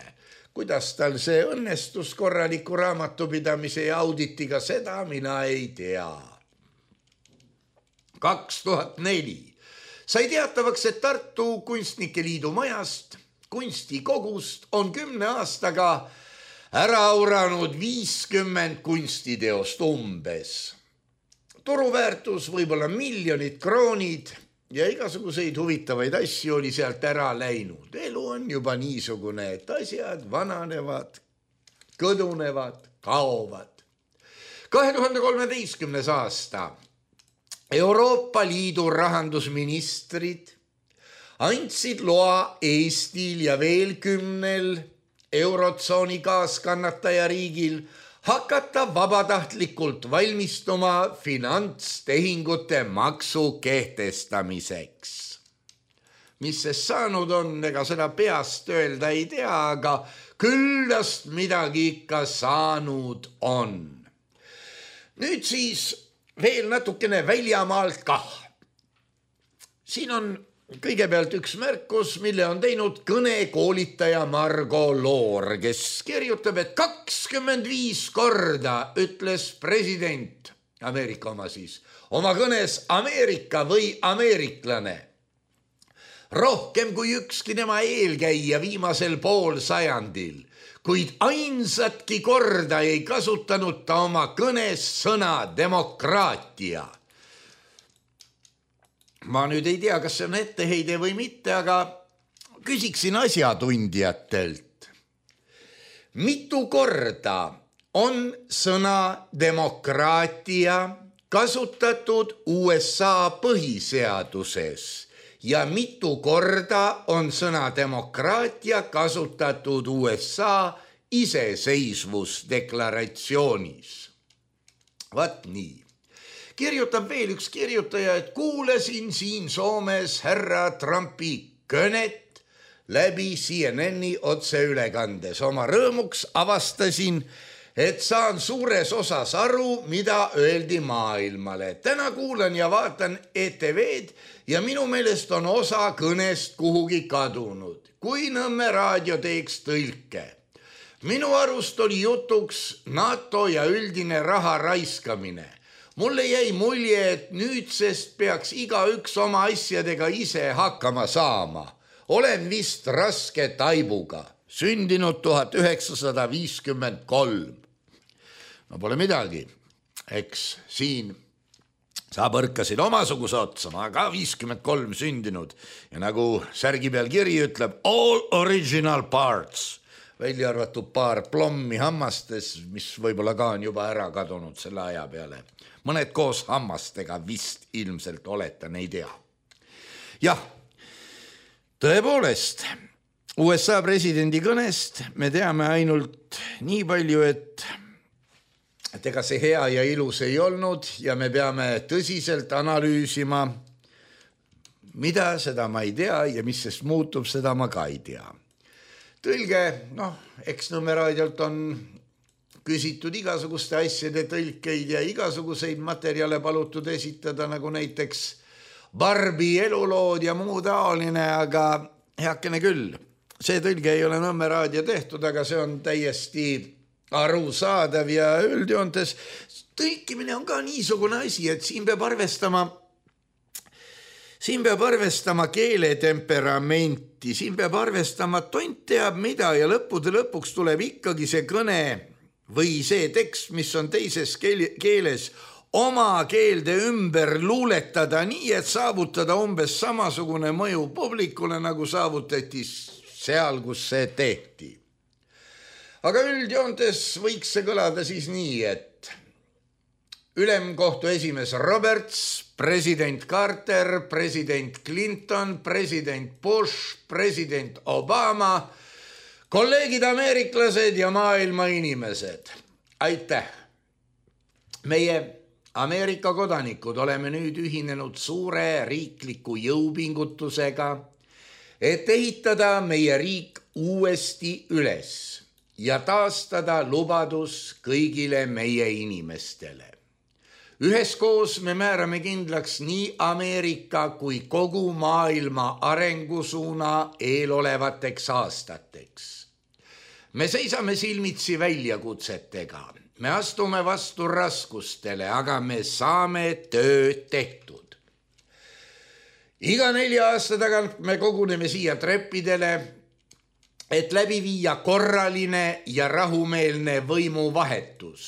Kuidas tal see õnnestus korraliku raamatupidamise ja auditiga, seda mina ei tea. 2004 sai teatavaks, et Tartu Kunstnike Liidu majast, kunstikogust on 10 aastaga ära auranud 50 kunstiteost umbes. Turuväärtus võib-olla miljonid kroonid ja igasuguseid huvitavaid asju oli sealt ära läinud. Elu on juba niisugune, et asjad vananevad, kõdunevad, kaovad. 2013. aasta Euroopa Liidu rahandusministrid andsid loa Eestil ja veel 10 eurotsooni kaaskannataja riigil hakata vabatahtlikult valmistuma finantstehingute maksu kehtestamiseks. Mis sest saanud on, ega seda peast öelda ei tea, aga küllast midagi ikka saanud on. Nüüd siis veel natukene väljamaalt kah. Siin on kõigepealt üks märkus, mille on teinud kõnekoolitaja Margo Loor, kes kirjutab, et 25 korda ütles president, Ameerika oma siis, oma kõnes Ameerika või ameeriklane. Rohkem kui ükski tema eelkäija viimasel poolsajandil, kuid ainsatki korda ei kasutanud ta oma kõnes sõna demokraatia. Ma nüüd ei tea, kas see on etteheide või mitte, aga küsiksin asjatundjatelt. Mitu korda on sõna demokraatia kasutatud USA põhiseaduses ja mitu korda on sõna demokraatia kasutatud USA iseseisvusdeklaratsioonis? Vat nii. Kirjutab veel üks kirjutaja, et kuulasin siin Soomes härra Trumpi kõnet läbi CNN-i otseülekandes. Oma rõõmuks avastasin, et saan suures osas aru, mida öeldi maailmale. Täna kuulan ja vaatan ETV-d ja minu meelest on osa kõnest kuhugi kadunud. Kui Nõmme raadio teeks tõlke. Minu arust oli jutuks NATO ja üldine raha raiskamine. Mulle jäi mulje, et nüüdsest peaks igaüks oma asjadega ise hakkama saama. Olen vist raske taibuga, sündinud 1953. No pole midagi, eks siin sa põrkasid omasuguse otsa, ma ka 53 sündinud ja nagu särgi peal kiri ütleb, all original parts, välja arvatud paar plommi hammastes, mis võib-olla ka on juba ära kadunud selle aja peale. Mõned koos hammastega vist ilmselt oletan, ei tea. Jah, Tõepoolest, USA presidendi kõnest me teame ainult nii palju, et ega see hea ja ilus ei olnud ja me peame tõsiselt analüüsima, mida seda ma ei tea ja mis sest muutub, seda ma ka ei tea. Tõlge, X-Nõmme raadiolt on küsitud igasuguste asjade tõlkeid ja igasuguseid materjale palutud esitada, nagu näiteks Barbi elulood ja muu taoline, aga heakene küll. See tõlge ei ole Nõmme raadio tehtud, aga see on täiesti arusaadav ja üldjoontes tõlkimine on ka niisugune asi, et siin peab arvestama keele temperamenti, siin peab arvestama tont teab mida ja lõppude lõpuks tuleb ikkagi see kõne või see tekst, mis on teises keeles, oma keelde ümber luuletada nii, et saavutada umbes samasugune mõju publikule, nagu saavutati seal, kus see tehti. Aga üldjoontes võiks see kõlada siis nii, et ülemkohtu esimees Roberts, president Carter, president Clinton, president Bush, president Obama, kolleegid ameeriklased ja maailma inimesed. Aitäh! Meie Ameerika kodanikud oleme nüüd ühinenud suure riikliku jõupingutusega, et ehitada meie riik uuesti üles ja taastada lubadus kõigile meie inimestele. Üheskoos me määrame kindlaks nii Ameerika kui kogu maailma arengusuuna eelolevateks aastateks. Me seisame silmitsi väljakutsetega. Me astume vastu raskustele, aga me saame töö tehtud. Iga 4 aasta tagant me koguneme siia treppidele, et läbi viia korraline ja rahumeelne võimuvahetus.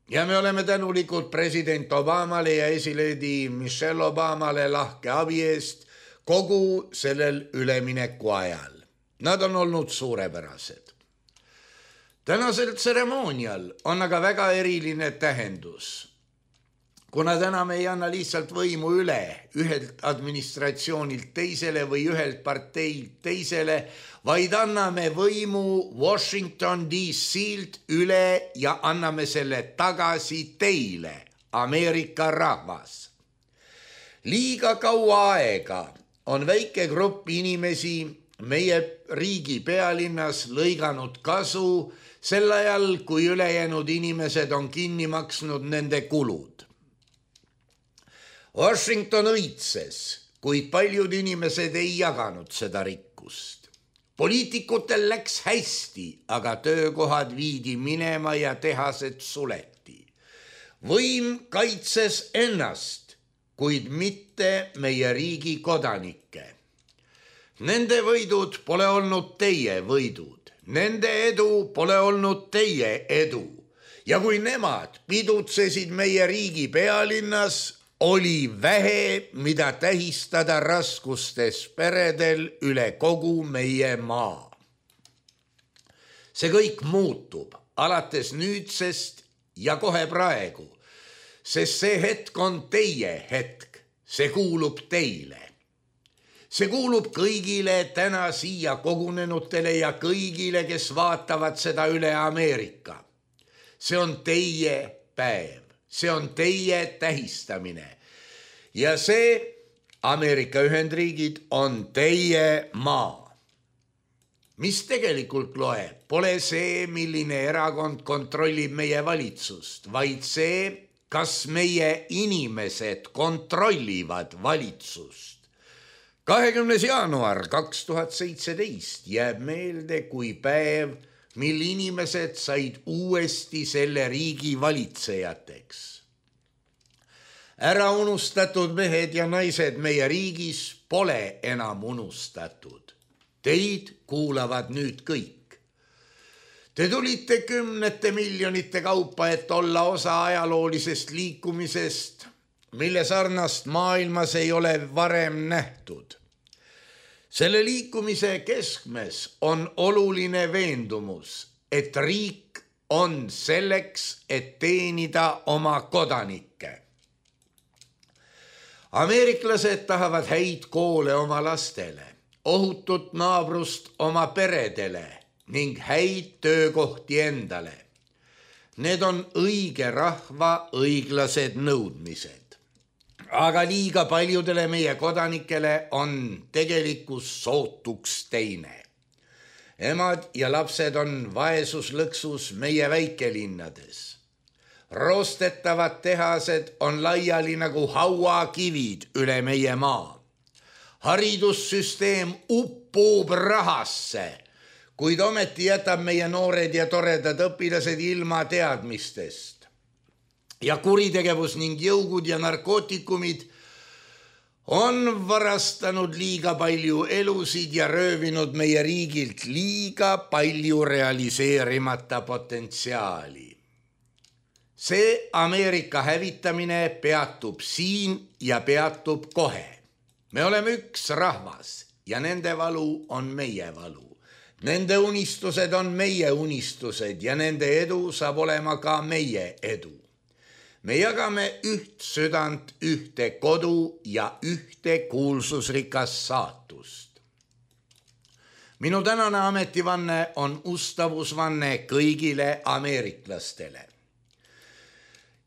Ja me oleme tänulikud president Obamale ja esileedi Michelle Obamale lahke abi eest kogu sellel ülemineku ajal. Nad on olnud suurepärased. Tänasel tseremoonial on aga väga eriline tähendus, kuna täna me ei anna lihtsalt võimu üle ühelt administratsioonilt teisele või ühelt parteilt teisele, vaid anname võimu Washington DC-lt üle ja anname selle tagasi teile, Ameerika rahvas. Liiga kaua aega on väike grupp inimesi meie riigi pealinnas lõiganud kasu sel ajal, kui ülejäänud inimesed on kinni maksnud nende kulud. Washington õitses, kuid paljud inimesed ei jaganud seda rikkust. Poliitikutel läks hästi, aga töökohad viidi minema ja tehased suleti. Võim kaitses ennast, kuid mitte meie riigi kodanikke. Nende võidud pole olnud teie võidud. Nende edu pole olnud teie edu ja kui nemad pidutsesid meie riigi pealinnas, oli vähe, mida tähistada raskustes peredel üle kogu meie maa. See kõik muutub alates nüüdsest ja kohe praegu, sest see hetk on teie hetk, see kuulub teile. See kuulub kõigile täna siia kogunenutele ja kõigile, kes vaatavad seda üle Ameerika. See on teie päev, see on teie tähistamine ja see Ameerika Ühendriigid on teie maa. Mis tegelikult loeb, pole see, milline erakond kontrollib meie valitsust, vaid see, kas meie inimesed kontrollivad valitsust. 20. jaanuar 2017 jääb meelde kui päev, mil inimesed said uuesti selle riigi valitsejateks. Ära unustatud mehed ja naised meie riigis pole enam unustatud. Teid kuulavad nüüd kõik. Te tulite 10 miljonite kaupa, et olla osa ajaloolisest liikumisest, mille sarnast maailmas ei ole varem nähtud. Selle liikumise keskmes on oluline veendumus, et riik on selleks, et teenida oma kodanikke. Ameeriklased tahavad häid koole oma lastele. ohutut naabrust oma peredele ning häid töökohti endale. Need on õige rahva õiglased nõudmised. Aga liiga paljudele meie kodanikele on tegelikkus sootuks teine. Emad ja lapsed on vaesuslõksus meie väikelinnades. Roostetavad tehased on laiali nagu hauakivid üle meie maa. Haridussüsteem uppub rahasse, kuid ometi jätab meie noored ja toredad õpilased ilma teadmistest. Ja kuritegevus ning jõugud ja narkootikumid on varastanud liiga palju elusid ja röövinud meie riigilt liiga palju realiseerimata potentsiaali. See Ameerika hävitamine peatub siin ja peatub kohe. Me oleme üks rahvas ja nende valu on meie valu. Nende unistused on meie unistused ja nende edu saab olema ka meie edu. Me jagame üht südant, ühte kodu ja ühte kuulsusrikas saatust. Minu tänane ametivanne on ustavusvanne kõigile ameeriklastele.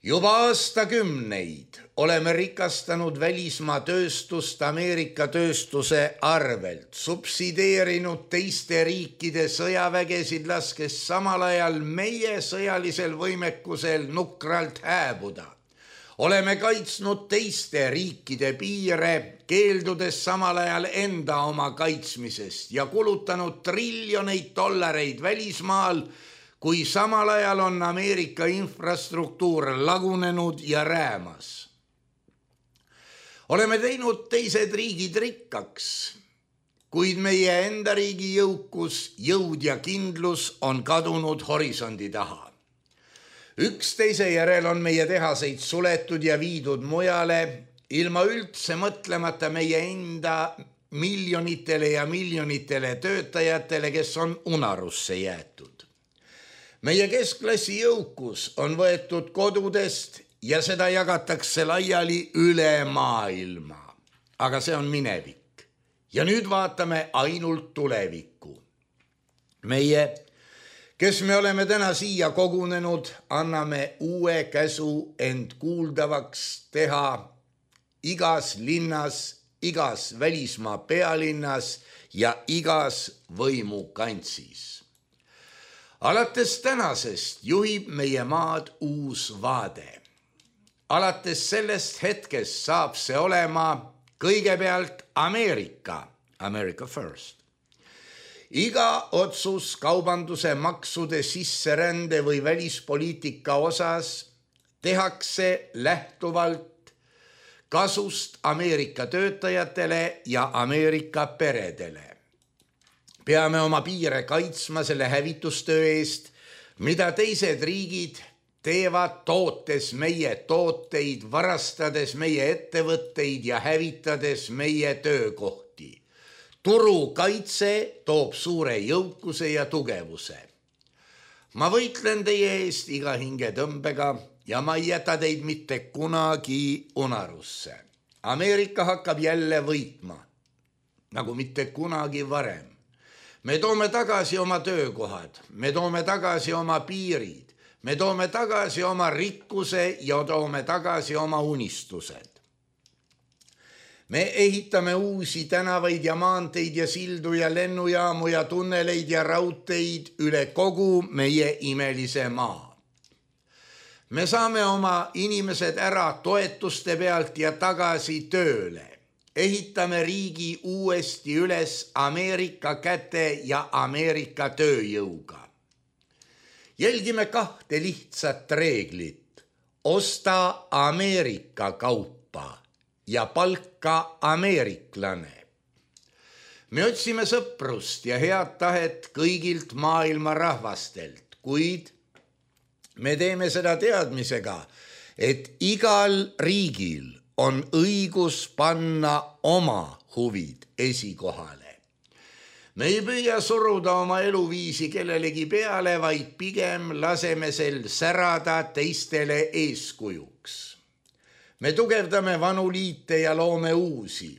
Juba aastakümneid oleme rikastanud välismaa tööstust Ameerika tööstuse arvelt, subsideerinud teiste riikide sõjavägesid, laskes samal ajal meie sõjalisel võimekusel nukralt hääbuda. Oleme kaitsnud teiste riikide piire, keeldudes samal ajal enda oma kaitsmisest ja kulutanud triljoneid dollareid välismaal, kui samal ajal on Ameerika infrastruktuur lagunenud ja räämas. Oleme teinud teised riigid rikkaks, kuid meie enda riigi jõukus, jõud ja kindlus on kadunud horisondi taha. Üksteise järel on meie tehaseid suletud ja viidud mujale, ilma üldse mõtlemata meie enda miljonitele ja miljonitele töötajatele, kes on unarusse jäetud. Meie keskklassi jõukus on võetud kodudest ja seda jagatakse laiali üle maailma. Aga see on minevik. Ja nüüd vaatame ainult tulevikku. Meie, kes me oleme täna siia kogunenud, anname uue käsu end kuuldavaks teha igas linnas, igas välismaa pealinnas ja igas võimukantsis. Alates tänasest juhib meie maad uus vaade. Alates sellest hetkest saab see olema kõigepealt Ameerika, America first. Iga otsus kaubanduse, maksude, sisserände või välispoliitika osas tehakse lähtuvalt kasust Ameerika töötajatele ja Ameerika peredele. Peame oma piire kaitsma selle hävitustöö eest, mida teised riigid teevad tootes meie tooteid, varastades meie ettevõtteid ja hävitades meie töökohti. Turukaitse toob suure jõukuse ja tugevuse. Ma võitlen teie eest iga hingetõmbega ja ma ei jäta teid mitte kunagi unarusse. Ameerika hakkab jälle võitma, nagu mitte kunagi varem. Me toome tagasi oma töökohad, me toome tagasi oma piirid, me toome tagasi oma rikkuse ja toome tagasi oma unistused. Me ehitame uusi tänavaid ja maanteid ja sildu ja lennujaamu ja tunneleid ja raudteid üle kogu meie imelise maa. Me saame oma inimesed ära toetuste pealt ja tagasi tööle. Ehitame riigi uuesti üles Ameerika käte ja Ameerika tööjõuga. Jälgime kahte lihtsat reeglit. Osta Ameerika kaupa ja palka ameeriklane. Me otsime sõprust ja head tahet kõigilt maailma rahvastelt, kuid me teeme seda teadmisega, et igal riigil on õigus panna oma huvid esikohale. Me ei püüa suruda oma eluviisi kellelegi peale, vaid pigem laseme sel särada teistele eeskujuks. Me tugevdame vanu liite ja loome uusi.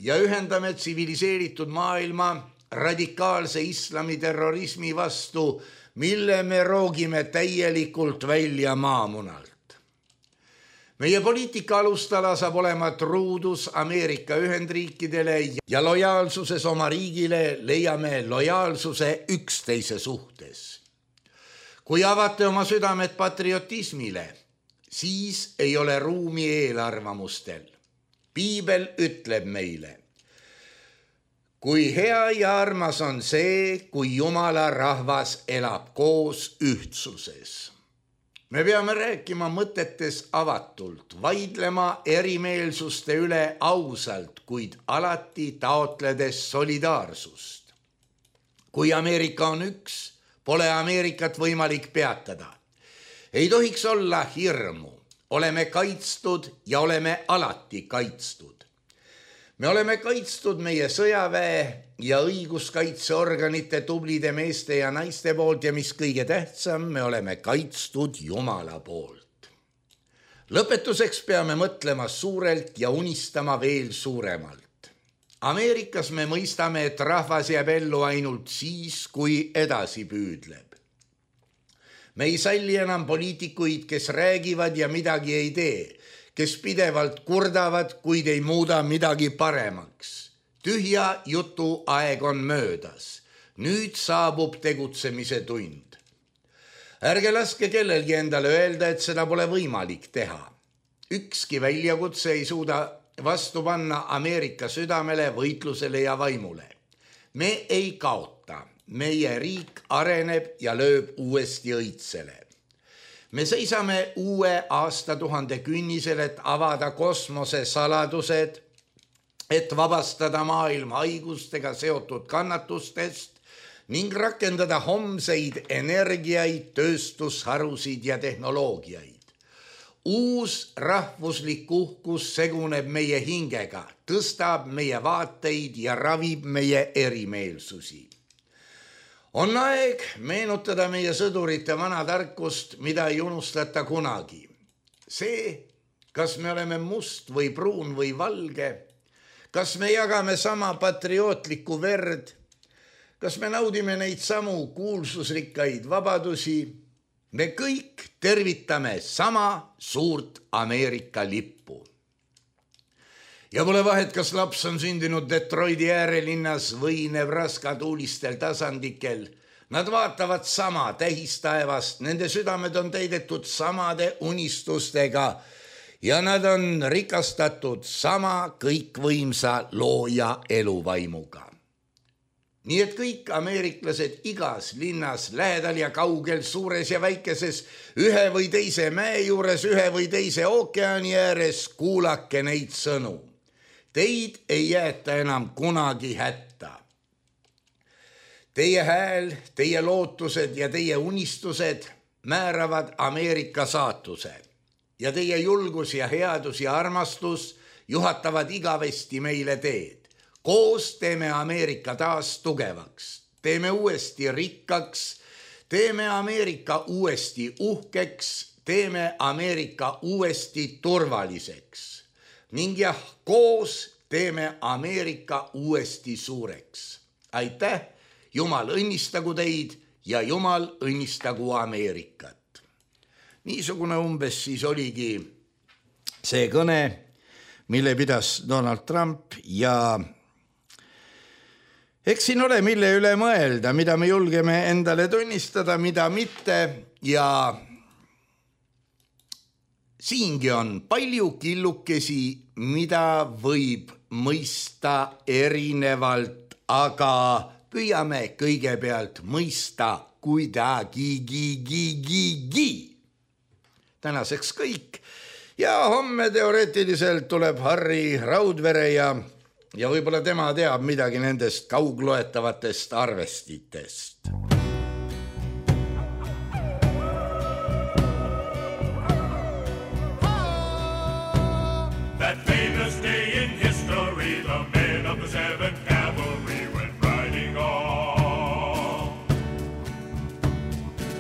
ja ühendame tsiviliseeritud maailma radikaalse islami terrorismi vastu, mille me roogime täielikult välja maamunalt. Meie poliitika alustala saab olema truudus Ameerika Ühendriikidele ja lojaalsuses oma riigile leiame lojaalsuse üksteise suhtes. Kui avate oma südamed patriotismile, siis ei ole ruumi eelarvamustel. Piibel ütleb meile, kui hea ja armas on see, kui Jumala rahvas elab koos ühtsuses. Me peame rääkima mõtetes avatult, vaidlema erimeelsuste üle ausalt, kuid alati taotledes solidaarsust. Kui Ameerika on üks, pole Ameerikat võimalik peatada. Ei tohiks olla hirmu, oleme kaitstud ja oleme alati kaitstud. Me oleme kaitstud meie sõjaväe ja õiguskaitseorganite tublide meeste ja naiste poolt ja mis kõige tähtsam, me oleme kaitstud Jumala poolt. Lõpetuseks peame mõtlema suurelt ja unistama veel suuremalt. Ameerikas me mõistame, et rahvas jääb ellu ainult siis, kui edasi püüdleb. Me ei salli enam poliitikuid, kes räägivad ja midagi ei tee, kes pidevalt kurdavad, kuid ei muuda midagi paremaks. Tühja jutu aeg on möödas. Nüüd saabub tegutsemise tund. Ärge laske kellelgi endale öelda, et seda pole võimalik teha. Ükski väljakutse ei suuda vastu panna Ameerika südamele, võitlusele ja vaimule. Me ei kaota. Meie riik areneb ja lööb uuesti õitsele. Me seisame uue aastatuhande künnisel, et avada kosmose saladused, et vabastada maailma haigustega seotud kannatustest ning rakendada homseid energiaid, tööstusharusid ja tehnoloogiaid. Uus rahvuslik uhkus seguneb meie hingega, tõstab meie vaateid ja ravib meie erimeelsusi. On aeg meenutada meie sõdurite vana tarkust, mida ei unustata kunagi. See, kas me oleme must või pruun või valge, kas me jagame sama patriootlikku verd, kas me naudime neid samu kuulsusrikkaid vabadusi, me kõik tervitame sama suurt Ameerika lippu. Ja pole vahet, kas laps on sündinud Detroiti äärelinnas või Nebraska tuulistel tasandikel. Nad vaatavad sama tähistaevast, nende südamed on täidetud samade unistustega ja nad on rikastatud sama kõikvõimsa looja eluvaimuga. Nii et kõik ameeriklased igas linnas, lähedal ja kaugel, suures ja väikeses, ühe või teise mäe juures, ühe või teise ookeani ääres, kuulake neid sõnu. Teid ei jäeta enam kunagi hätta. Teie hääl, teie lootused ja teie unistused määravad Ameerika saatuse ja teie julgus ja headus ja armastus juhatavad igavesti meile teed. Koos teeme Ameerika taas tugevaks, teeme uuesti rikkaks, teeme Ameerika uuesti uhkeks, teeme Ameerika uuesti turvaliseks. Ning jah, koos teeme Ameerika uuesti suureks. Aitäh, Jumal õnnistagu teid ja Jumal õnnistagu Ameerikat. Niisugune umbes siis oligi see kõne, mille pidas Donald Trump ja eks siin ole mille üle mõelda, mida me julgeme endale tunnistada, mida mitte ja siingi on palju killukesi, mida võib mõista erinevalt, aga püüame kõigepealt mõista kuidagi. Tänaseks kõik ja homme teoreetiliselt tuleb Harri Raudvere ja võib-olla tema teab midagi nendest kaugloetavatest arvestitest. That famous day in history, the men of the 7th Cavalry went riding on.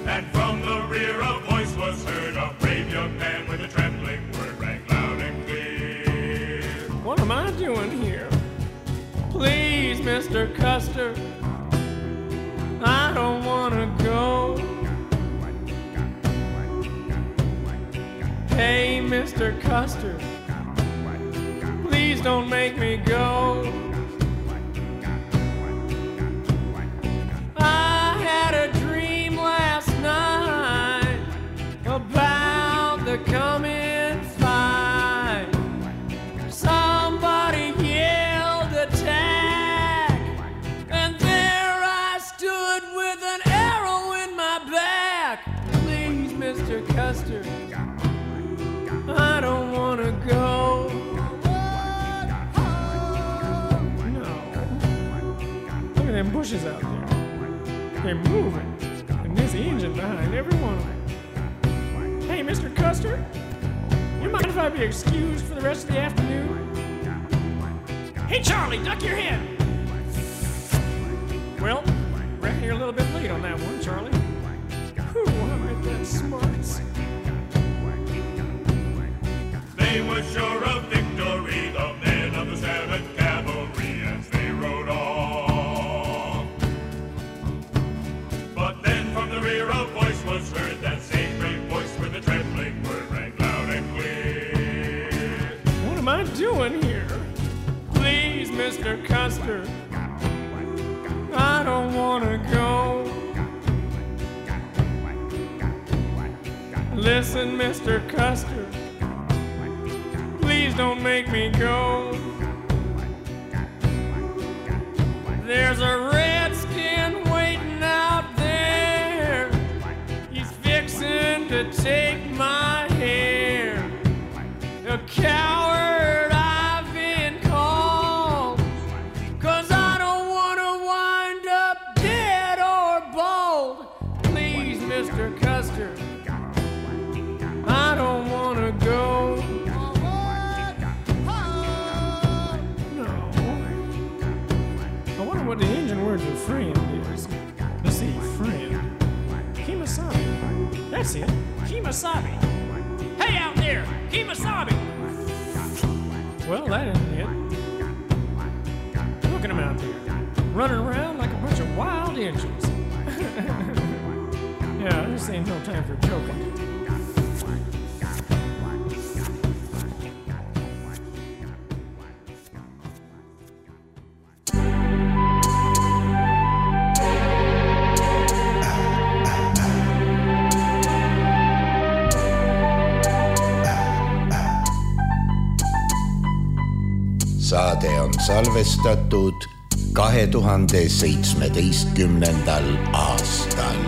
And from the rear a voice was heard, a brave young man with a trembling word rang loud and clear. What am I doing here? Custer, please don't make me go. I had a dream last night about the coming fight. Somebody yelled attack, and there I stood with an arrow in my back. Please, Mr. Custer, I don't want to go. No. Look at them bushes out there. They're moving. And there's the engine behind every one of them. Hey, Mr. Custer, you mind if I be excused for the rest of the afternoon? Hey, Charlie, duck your head. Well, reckon you're a little bit late on that one, Charlie. Whew, I'm at that smarts. They were sure of victory, the men of the 7th Cavalry, as they rode on. But then from the rear a voice was heard, that same great voice with the trembling word rang loud and clear. What am I doing here? Please, Mr. Custer, I don't want to go. Listen, Mr. Custer, please don't make me go. There's a redskin waiting out there. He's fixing to take my hair. A coward I've been called, 'cause I don't want to wind up dead or bald. Please, Mr. Custer, I don't want to go. What the engine word for friend is. Let's see, friend. Kemosabe. That's it. Kemosabe. Hey out there, Kemosabe. Well, that isn't it. Look at them out there, running around like a bunch of wild engines. Yeah, this ain't no time for joking. Saade on salvestatud 2017. aastal.